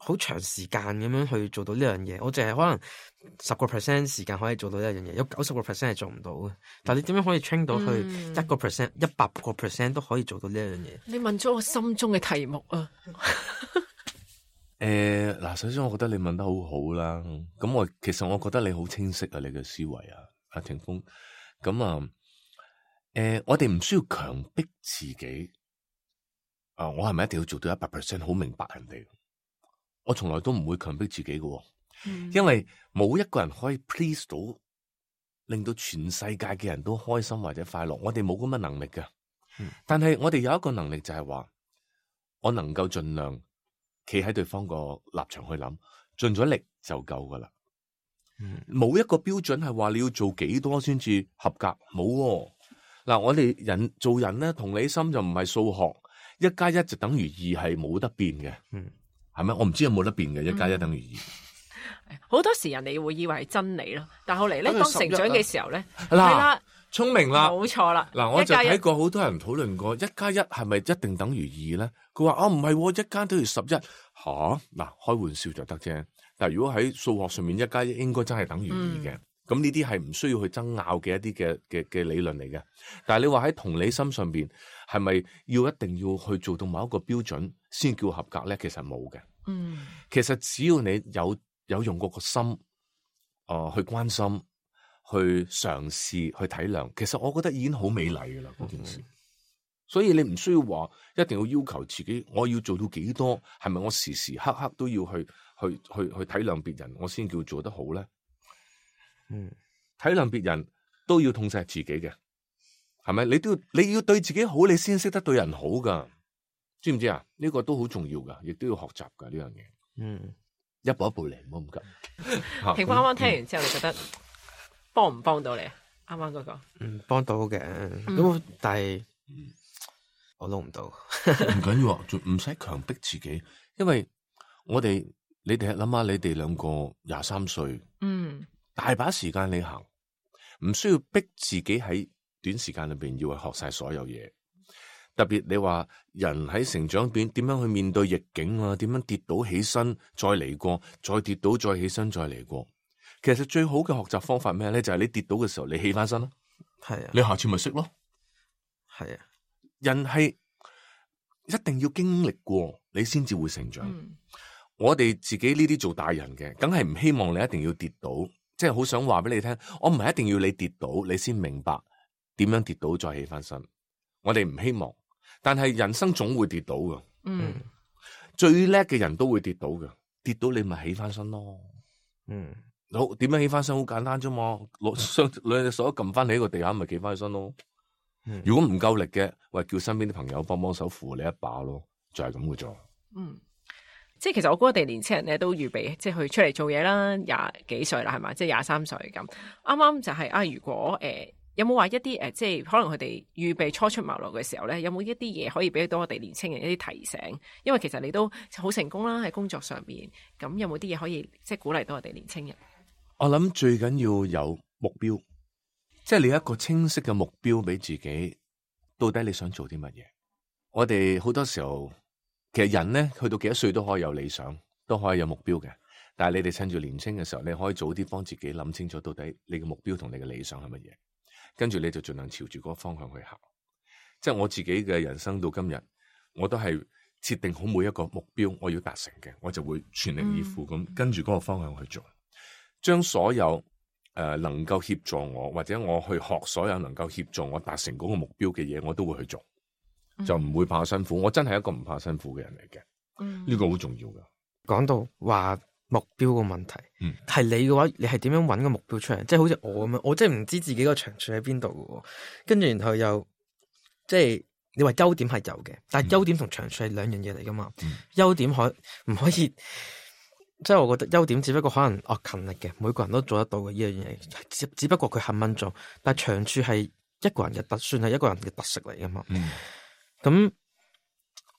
好長時間咁樣去做到呢樣嘢。我淨係可能十個 percent 時間可以做到呢樣嘢，有九十個 percent 係做唔到嘅。但係你點樣可以 train 到去一個 percent、一百個 percent 都可以做到呢樣嘢？你問咗我心中嘅題目啊！誒，嗱，首先我覺得你問得好好啦。咁我其實我覺得你好清晰啊，你嘅思維啊，阿霆鋒。咁啊，誒、呃，我哋唔需要強迫自己。啊、呃，我係咪一定要做到一百 percent 好明白人哋？我從來都唔會強迫自己嘅，嗯、因為冇一個人可以 please 到，令到全世界嘅人都開心或者快樂。我哋冇咁嘅能力嘅，嗯、但係我哋有一個能力就係話，我能夠盡量企喺對方個立場去諗，盡咗力就夠噶啦。冇、嗯、一個標準係話你要做幾多先至合格，冇嗱、哦。我哋人做人咧，同理心就唔係數學，一加一就等於二係冇得變嘅。嗯係咪？我唔知有冇得變嘅，一加一等於二。好多時人哋會以為係真理咯，但後嚟咧，當成長嘅時候咧，係啦，聰明啦，冇錯啦。嗱，我就睇過好多人討論過，一加一係咪一定等於二咧？佢話啊，唔係，一加等於十一。吓，嗱，開玩笑就得啫。但係如果喺數學上面，一加一應該真係等於二嘅。咁呢啲係唔需要去爭拗嘅一啲嘅嘅嘅理論嚟嘅。但係你話喺同理心上邊，係咪要一定要去做到某一個標準先叫合格咧？其實冇嘅。嗯，其實只要你有有用過個心，誒、呃、去關心。去嘗試去體諒，其實我覺得已經好美麗㗎啦嗰件事。所以你唔需要話一定要要求自己，我要做到幾多？係咪我時時刻刻都要去去去去體諒別人，我先叫做得好咧？嗯，體諒別人都要痛錫自己嘅，係咪？你都要你要對自己好，你先識得對人好噶，知唔知啊？呢個都好重要噶，亦都要學習噶呢樣嘢。嗯，一步一步嚟，唔好咁急。評判啱啱聽完之後，你覺得？幫唔幫到你啊？啱啱嗰個，嗯，幫到嘅，咁、嗯、但係、嗯、我撈唔到，唔緊要啊，仲唔使強迫自己，因為我哋你哋諗下，你哋兩個廿三歲，嗯，大把時間你行，唔需要逼自己喺短時間裏邊要去學晒所有嘢。特別你話人喺成長邊點樣去面對逆境啊？點樣跌倒起身再嚟過，再跌倒再起身再嚟過。其實最好嘅學習方法咩咧？就係、是、你跌倒嘅時候，你起翻身咯。係啊，你下次咪識咯。係啊，人係一定要經歷過，你先至會成長。嗯、我哋自己呢啲做大人嘅，梗係唔希望你一定要跌倒，即係好想話俾你聽，我唔係一定要你跌倒，你先明白點樣跌倒再起翻身。我哋唔希望，但係人生總會跌倒噶。嗯，最叻嘅人都會跌倒噶，跌倒你咪起翻身咯。嗯。好，點樣起翻身好簡單啫嘛，攞雙兩隻手撳翻你喺個地下，咪企翻起身咯。嗯、如果唔夠力嘅，喂，叫身邊啲朋友幫幫手扶你一把咯，就係咁嘅啫。嗯，即係其實我估我哋年青人咧都預備，即係去出嚟做嘢啦，廿幾歲啦，係嘛，即係廿三歲咁。啱啱就係、是、啊，如果誒、呃、有冇話一啲誒、呃，即係可能佢哋預備初出茅廬嘅時候咧，有冇一啲嘢可以俾到我哋年青人一啲提醒？因為其實你都好成功啦，喺工作上邊，咁有冇啲嘢可以即係鼓勵到我哋年青人？我諗最緊要有目標，即係你一個清晰嘅目標俾自己，到底你想做啲乜嘢？我哋好多時候，其實人咧去到幾多歲都可以有理想，都可以有目標嘅。但係你哋趁住年輕嘅時候，你可以早啲幫自己諗清楚，到底你嘅目標同你嘅理想係乜嘢，跟住你就盡量朝住嗰個方向去行。即係我自己嘅人生到今日，我都係設定好每一個目標我要達成嘅，我就會全力以赴咁、嗯、跟住嗰個方向去做。將所有誒、呃、能夠協助我，或者我去學所有能夠協助我達成嗰個目標嘅嘢，我都會去做，嗯、就唔會怕辛苦。我真係一個唔怕辛苦嘅人嚟嘅，呢、嗯、個好重要噶。講到話目標個問題，係、嗯、你嘅話，你係點樣搵個目標出嚟？即係好似我咁樣，我真係唔知自己個長處喺邊度嘅，跟住然後又即係你話優點係有嘅，但係優點同長處係兩樣嘢嚟噶嘛？優、嗯、點可唔可以？即係我覺得優點只不過可能哦勤力嘅，每個人都做得到嘅呢樣嘢，只只不過佢肯肯做。但係長處係一個人嘅特，算係一個人嘅特色嚟噶嘛。咁、嗯、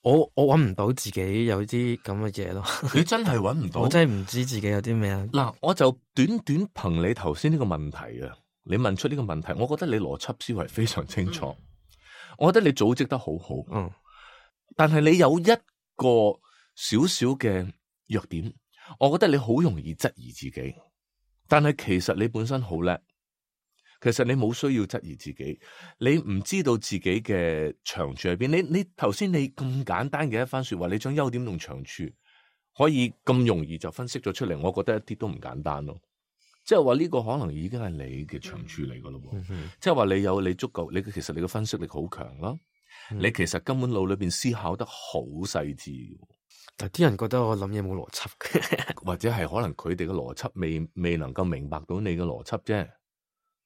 我我搵唔到自己有啲咁嘅嘢咯。你真係搵唔到？我真係唔知自己有啲咩啊。嗱，我就短短憑你頭先呢個問題啊，你問出呢個問題，我覺得你邏輯思維非常清楚，嗯、我覺得你組織得好好。嗯，但係你有一個少少嘅弱點。我覺得你好容易質疑自己，但係其實你本身好叻，其實你冇需要質疑自己。你唔知道自己嘅長處喺邊？你你頭先你咁簡單嘅一番說話，你將優點同長處可以咁容易就分析咗出嚟，我覺得一啲都唔簡單咯。即係話呢個可能已經係你嘅長處嚟噶咯。即係話你有你足夠，你其實你嘅分析力好強啦。嗯、你其實根本腦裏邊思考得好細緻。但啲人覺得我諗嘢冇邏輯嘅，或者係可能佢哋嘅邏輯未未能夠明白到你嘅邏輯啫，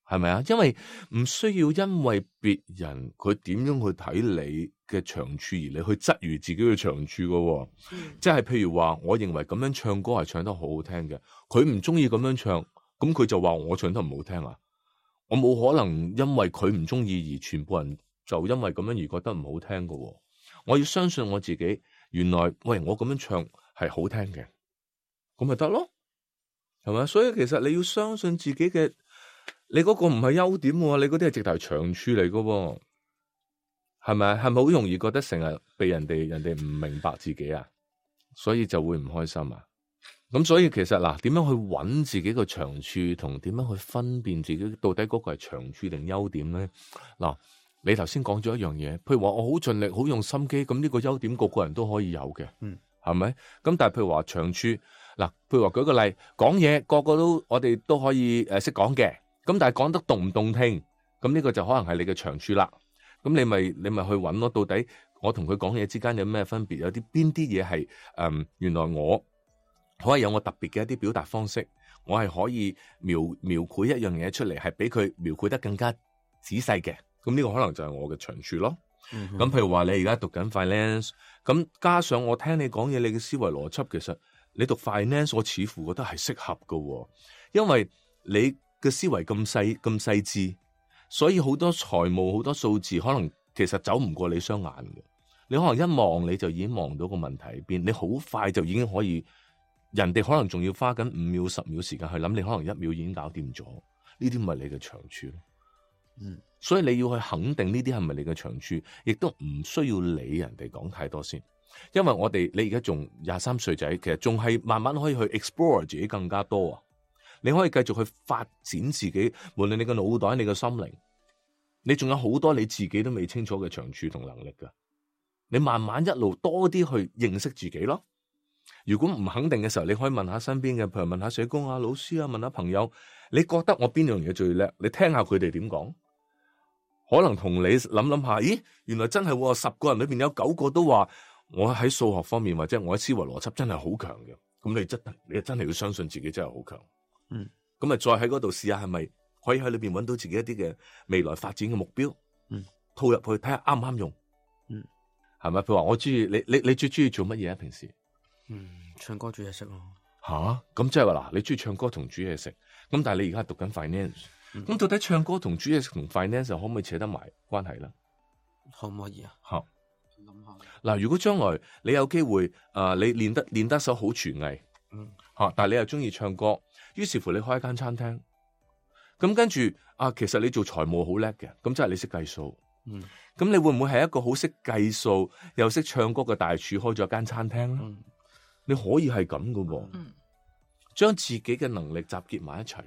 係咪啊？因為唔需要因為別人佢點樣去睇你嘅長處而你去質疑自己嘅長處噶，嗯、即係譬如話，我認為咁樣唱歌係唱得好好聽嘅，佢唔中意咁樣唱，咁佢就話我唱得唔好聽啊？我冇可能因為佢唔中意而全部人就因為咁樣而覺得唔好聽噶，我要相信我自己。原來喂，我咁樣唱係好聽嘅，咁咪得咯，係咪？所以其實你要相信自己嘅你嗰個唔係優點喎，你嗰啲係直頭係長處嚟噶喎，係咪？係咪好容易覺得成日被人哋人哋唔明白自己啊，所以就會唔開心啊？咁所以其實嗱，點樣去揾自己個長處，同點樣去分辨自己到底嗰個係長處定優點咧？嗱，你頭先講咗一樣嘢，譬如話我好盡力、好用心機，咁呢個優點個個人都可以有嘅，嗯，係咪？咁但係譬如話長處，嗱，譬如話舉個例，講嘢個個都我哋都可以誒識講嘅，咁但係講得動唔動聽，咁呢個就可能係你嘅長處啦。咁你咪你咪去揾咯，到底我同佢講嘢之間有咩分別？有啲邊啲嘢係誒原來我可以有我特別嘅一啲表達方式，我係可以描描繪一樣嘢出嚟，係俾佢描繪得更加仔細嘅。咁呢個可能就係我嘅長處咯。咁、嗯、譬如話你而家讀緊 finance， 咁加上我聽你講嘢，你嘅思維邏輯其實你讀 finance， 我似乎覺得係適合㗎，因為你嘅思維咁細咁細緻，所以好多財務好多數字可能其實走唔過你雙眼嘅。你可能一望你就已經望到個問題喺邊，你好快就已經可以。人哋可能仲要花緊五秒、十秒時間去諗，你可能一秒已經搞掂咗。呢啲咪你嘅長處咯。嗯，所以你要去肯定呢啲係咪你嘅長處，亦都唔需要理人哋講太多先。因為我哋你而家仲廿三歲仔，其實仲係慢慢可以去 explore 自己更加多啊。你可以繼續去發展自己，無論你嘅腦袋、你嘅心靈，你仲有好多你自己都未清楚嘅長處同能力噶。你慢慢一路多啲去認識自己咯。如果唔肯定嘅時候，你可以問下身邊嘅，譬如問下社工啊、老師啊，問下朋友，你覺得我邊樣嘢最叻？你聽下佢哋點講，可能同你諗諗下，咦，原來真係十個人裏邊有九個都話我喺數學方面或者我喺思維邏輯真係好強嘅。咁你真你真係要相信自己真係好強。嗯，咁啊，再喺嗰度試下係咪可以喺裏邊揾到自己一啲嘅未來發展嘅目標。嗯，套入去睇下啱唔啱用。嗯，係咪？譬如話我中意你，你你最中意做乜嘢啊？平時？嗯，唱歌煮嘢食咯。吓，咁即係話嗱，你中意唱歌同煮嘢食，咁但係你而家讀緊 finance，咁、嗯、到底唱歌同煮嘢食同 finance 可唔可以扯得埋關係咧？可唔可以啊？吓，諗下。嗱，如果將來你有機會，誒、呃，你練得練得手好廚藝，嗯，吓，但係你又中意唱歌，於是乎你開一間餐廳，咁跟住啊，其實你做財務好叻嘅，咁即係你識計數，嗯，咁你會唔會係一個好識計數又識唱歌嘅大廚開咗間餐廳咧？嗯，你可以係咁噶喎，將、嗯、自己嘅能力集結埋一齊，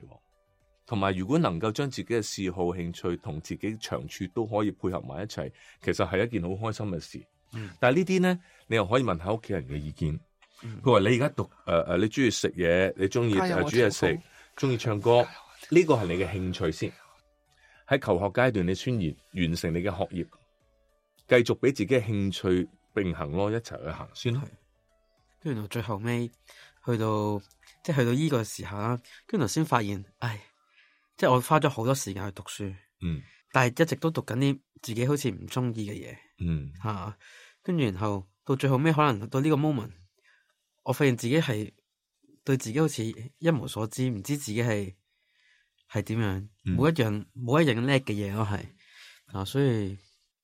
同埋如果能夠將自己嘅嗜好、興趣同自己長處都可以配合埋一齊，其實係一件好開心嘅事。嗯、但係呢啲咧，你又可以問下屋企人嘅意見。佢話、嗯、你而家讀誒誒、呃，你中意食嘢，你中意煮嘢食，中意唱歌，呢個係你嘅興趣先。喺求學階段，你宣言完成你嘅學業，繼續俾自己嘅興趣並行咯，一齊去行先咯。跟住到最後尾，去到即係去到呢個時候啦，跟住頭先發現，唉，即係我花咗好多時間去讀書，嗯，但係一直都讀緊啲自己好似唔中意嘅嘢，嗯，吓，跟住然後到最後尾，可能到呢個 moment，我發現自己係對自己好似一無所知，唔知自己係係點樣，冇、嗯、一樣冇一樣叻嘅嘢咯，係啊，所以。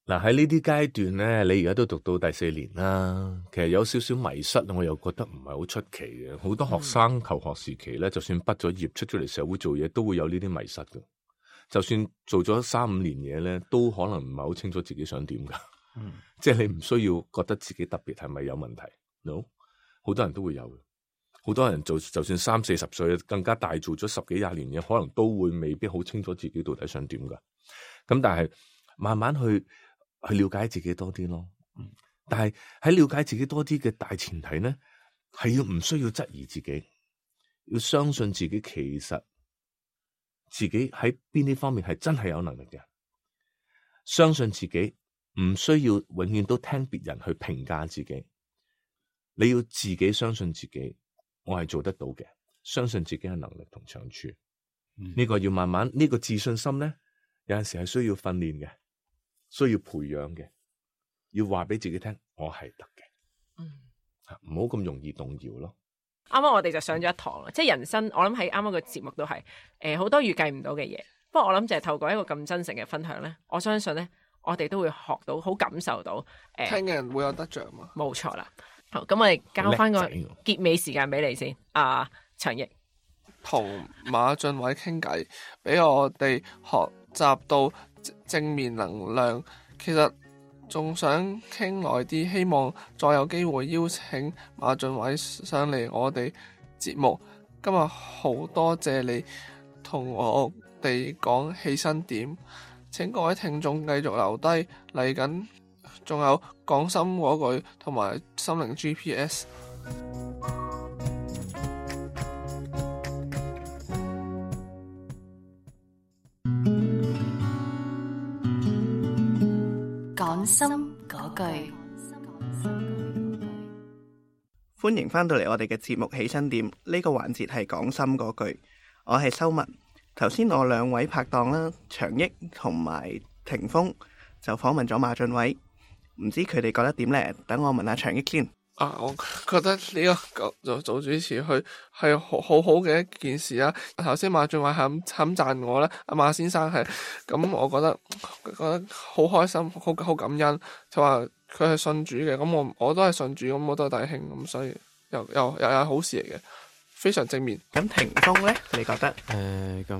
嗱，喺呢啲階段咧，你而家都讀到第四年啦，其實有少少迷失，我又覺得唔係好出奇嘅。好多學生求學時期咧，就算畢咗業出咗嚟社會做嘢，都會有呢啲迷失嘅。就算做咗三五年嘢咧，都可能唔係好清楚自己想點噶。嗯，即係你唔需要覺得自己特別係咪有問題 ？No，好多人都會有嘅。好多人做就算三四十歲，更加大做咗十幾廿年嘢，可能都會未必好清楚自己到底想點噶。咁但係慢慢去。去了解自己多啲咯，嗯，但係喺了解自己多啲嘅大前提咧，係要唔需要質疑自己，要相信自己其實自己喺邊啲方面係真係有能力嘅，相信自己唔需要永遠都聽別人去評價自己，你要自己相信自己，我係做得到嘅，相信自己嘅能力同長處，呢、嗯、個要慢慢呢、呢個自信心咧，有陣時係需要訓練嘅。需要培養嘅，要話俾自己聽，我係得嘅，嗯，唔好咁容易動搖咯。啱啱我哋就上咗一堂啦，即係人生，我諗喺啱啱個節目都係，誒、呃、好多預計唔到嘅嘢。不過我諗就係透過一個咁真誠嘅分享咧，我相信咧，我哋都會學到，好感受到，誒、呃，聽嘅人會有得着嘛。冇錯啦。好，咁我哋交翻個結尾時間俾你先，阿長奕。同馬俊偉傾偈，俾我哋學習到正面能量。其實仲想傾耐啲，希望再有機會邀請馬俊偉上嚟我哋節目。今日好多謝你同我哋講起身點，請各位聽眾繼續留低，嚟緊仲有講心嗰句同埋心靈 G P S。講心嗰句，歡迎翻到嚟我哋嘅節目起身點，呢個環節係講心嗰句，我係修文。頭先我兩位拍檔啦，長益同埋霆鋒就訪問咗馬俊偉，唔知佢哋覺得點呢？等我問下長益先。啊，我覺得呢個做做主持去係好好好嘅一件事啊！頭先馬俊偉係咁咁讚我啦，阿馬先生係咁，我覺得覺得好開心，好好感恩。就話佢係信主嘅，咁我我都係信主，咁我都係弟兄，咁所以又又又係好事嚟嘅，非常正面。咁霆鋒咧，你覺得？誒、呃，咁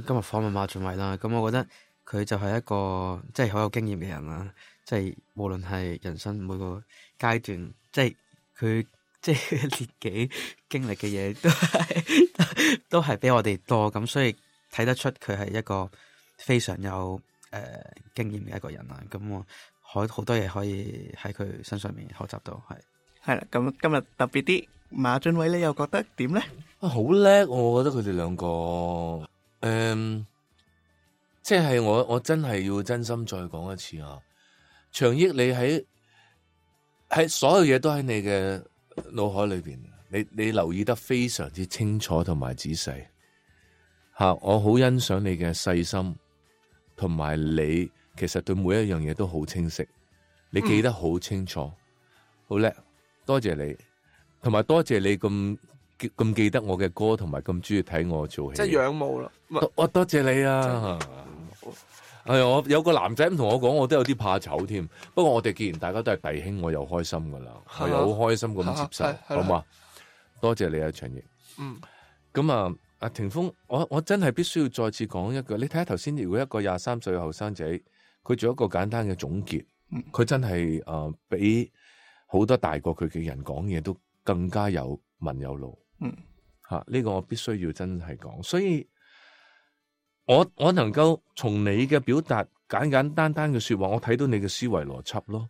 今日訪問馬俊偉啦，咁我覺得佢就係一個即係好有經驗嘅人啦，即係無論係人生每個階段，即係佢即係年紀經歷嘅嘢，都係都係比我哋多，咁所以睇得出佢係一個非常有誒、呃、經驗嘅一個人啦。咁我可好多嘢可以喺佢身上面學習到，係係啦。咁今日特別啲，馬俊偉你又覺得點咧？啊，好叻！我覺得佢哋兩個，誒、嗯，即係我我真係要真心再講一次啊！長益，你喺喺所有嘢都喺你嘅腦海裏邊，你你留意得非常之清楚同埋仔細吓，我好欣賞你嘅細心，同埋你其實對每一樣嘢都好清晰，你記得好清楚，好叻、嗯，多謝你，同埋多謝你咁咁記得我嘅歌，同埋咁中意睇我做戲，即係仰慕啦。我多謝你啊！係我有個男仔咁同我講，我都有啲怕醜添。不過我哋既然大家都係弟兄，我又開心噶啦，我又好開心咁接受，好嘛？多謝你啊，長益。嗯，咁啊，阿霆鋒，我我真係必須要再次講一句，你睇下頭先，如果一個廿三歲嘅後生仔，佢做一個簡單嘅總結，佢、嗯、真係誒，比好多大過佢嘅人講嘢都更加有文有路。嗯，吓、啊、呢、這個我必須要真係講，所以。我我能夠從你嘅表達簡簡單單嘅說話，我睇到你嘅思維邏輯咯，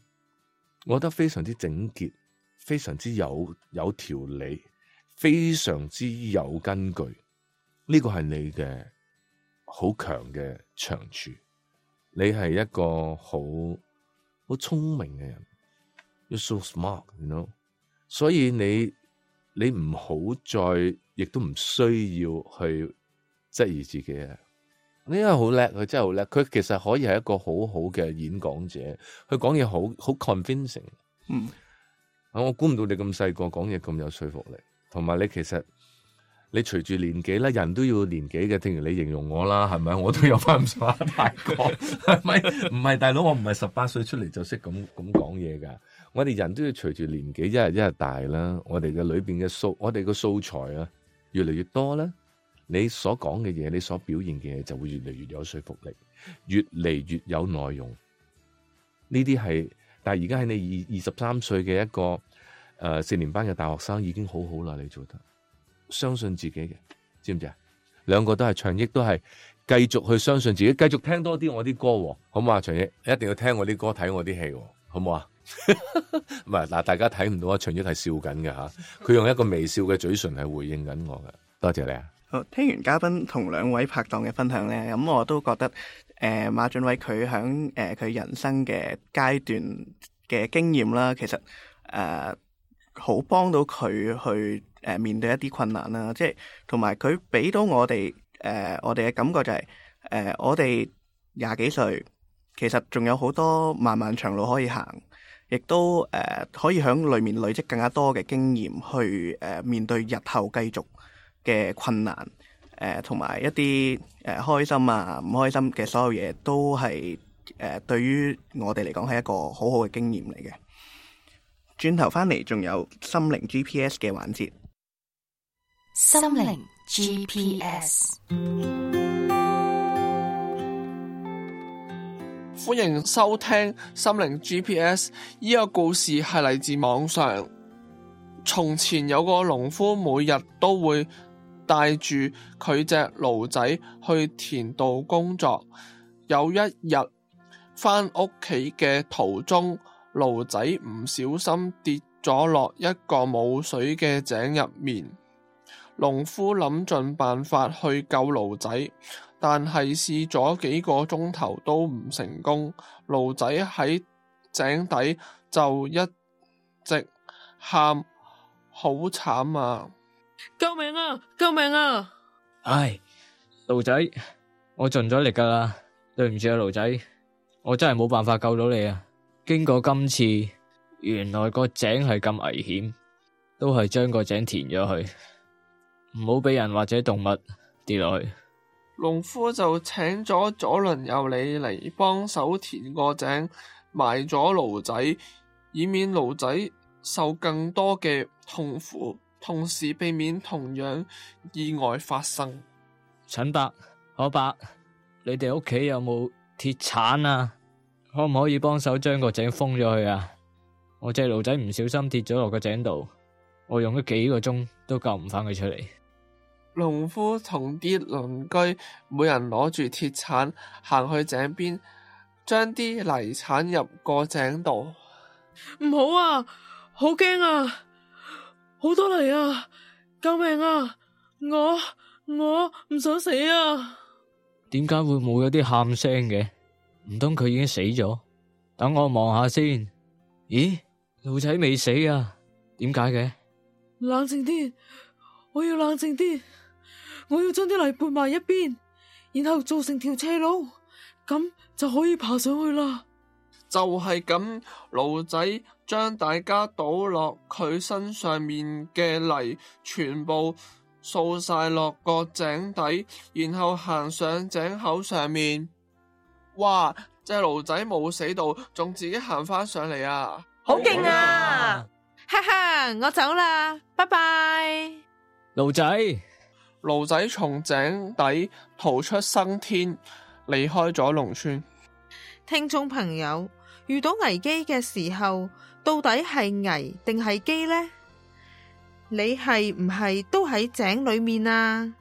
我覺得非常之整潔，非常之有有條理，非常之有根據。呢個係你嘅好強嘅長處，你係一個好好聰明嘅人 ，You're so smart，you know？ 所以你你唔好再，亦都唔需要去質疑自己啊！呢個好叻，佢真係好叻。佢其實可以係一個好好嘅演講者，佢講嘢好好 convincing。嗯，我估唔到你咁細個講嘢咁有說服力，同埋你其實你隨住年紀咧，人都要年紀嘅。正如你形容我啦，係咪？我都有翻咁上下大個，係咪？唔係大佬，我唔係十八歲出嚟就識咁咁講嘢噶。我哋人都要隨住年紀一日一日大啦，我哋嘅裏邊嘅素，我哋嘅素材啊，越嚟越多啦。你所講嘅嘢，你所表現嘅嘢就會越嚟越有說服力，越嚟越有內容。呢啲係，但係而家喺你二二十三歲嘅一個誒、呃、四年班嘅大學生已經好好啦，你做得，相信自己嘅，知唔知啊？兩個都係長益，都係繼續去相信自己，繼續聽多啲我啲歌，好嘛？長益一定要聽我啲歌，睇我啲戲，好唔好啊？唔係嗱，大家睇唔到啊，長益係笑緊嘅吓，佢用一個微笑嘅嘴唇係回應緊我嘅，多謝你啊！好，聽完嘉賓同兩位拍檔嘅分享咧，咁我都覺得誒、呃、馬俊偉佢響誒佢人生嘅階段嘅經驗啦，其實誒好幫到佢去誒、呃、面對一啲困難啦，即係同埋佢俾到我哋誒、呃、我哋嘅感覺就係、是、誒、呃、我哋廿幾歲，其實仲有好多漫漫長路可以行，亦都誒、呃、可以響裏面累積更加多嘅經驗去誒、呃、面對日後繼續嘅困難，誒同埋一啲誒、呃、開心啊唔開心嘅所有嘢，都係誒、呃、對於我哋嚟講係一個好好嘅經驗嚟嘅。轉頭翻嚟仲有心靈 G P S 嘅環節，心靈 G P S。歡迎收聽心靈 G P S。呢個故事係嚟自網上。從前有個農夫，每日都會帶住佢隻驢仔去田度工作。有一日返屋企嘅途中，驢仔唔小心跌咗落一個冇水嘅井入面。農夫諗盡辦法去救驢仔，但係試咗幾個鐘頭都唔成功。驢仔喺井底就一直喊，好慘啊！救命啊！救命啊！唉，驢仔，我盡咗力噶啦，對唔住啊，驢仔，我真係冇辦法救到你啊！經過今次，原來個井係咁危險，都係將個井填咗去，唔好俾人或者動物跌落去。農夫就請咗左鄰右里嚟幫手填個井，埋咗驢仔，以免驢仔受更多嘅痛苦，同時避免同樣意外發生。陳伯、可伯，你哋屋企有冇鐵鏟啊？可唔可以幫手將個井封咗佢啊？我隻驢仔唔小心跌咗落個井度，我用咗幾個鐘都救唔返佢出嚟。農夫同啲鄰居每人攞住鐵鏟行去井邊，將啲泥鏟入個井度。唔好啊！好驚啊！好多泥啊！救命啊！我我唔想死啊！點解會冇咗啲喊聲嘅？唔通佢已經死咗？等我望下先。咦，驢仔未死啊？點解嘅？冷靜啲，我要冷靜啲。我要將啲泥撥埋一邊，然後做成條斜路，咁就可以爬上去啦。就係咁，驢仔將大家倒落佢身上面嘅泥全部掃晒落個井底，然後行上井口上面。哇！隻驢仔冇死到，仲自己行翻上嚟啊！好勁啊！哈哈，我走啦，拜拜。驢仔，驢仔從井底逃出生天，離開咗農村。聽眾朋友，遇到危機嘅時候，到底係危定係機呢？你係唔係都喺井裏面啊？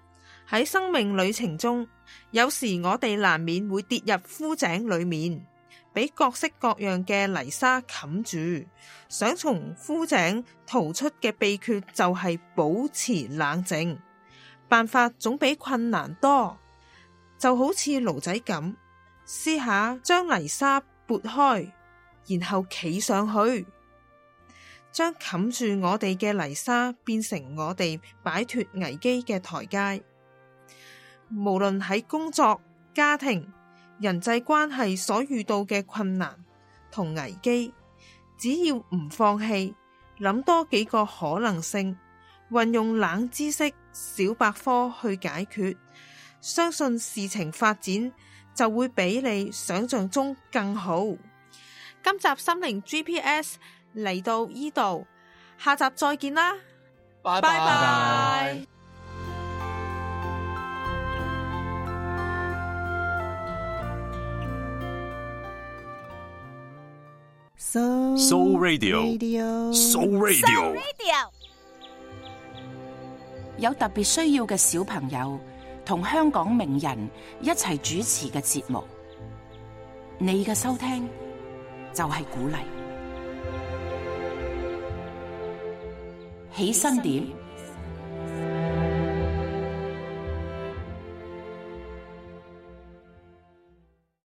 喺生命旅程中，有時我哋難免會跌入枯井裏面，俾各式各樣嘅泥沙冚住。想從枯井逃出嘅秘訣就係保持冷靜，辦法總比困難多。就好似驢仔咁，試下將泥沙撥開，然後企上去，將冚住我哋嘅泥沙變成我哋擺脫危機嘅台階。無論喺工作、家庭、人際關係所遇到嘅困難同危機，只要唔放棄，諗多幾個可能性，運用冷知識小百科去解決，相信事情發展就會比你想象中更好。今集心靈 G P S 嚟到呢度，下集再見啦，拜拜。So Radio，So Radio，有特別需要嘅小朋友同香港名人一齊主持嘅節目，你嘅收聽就係鼓勵。起身點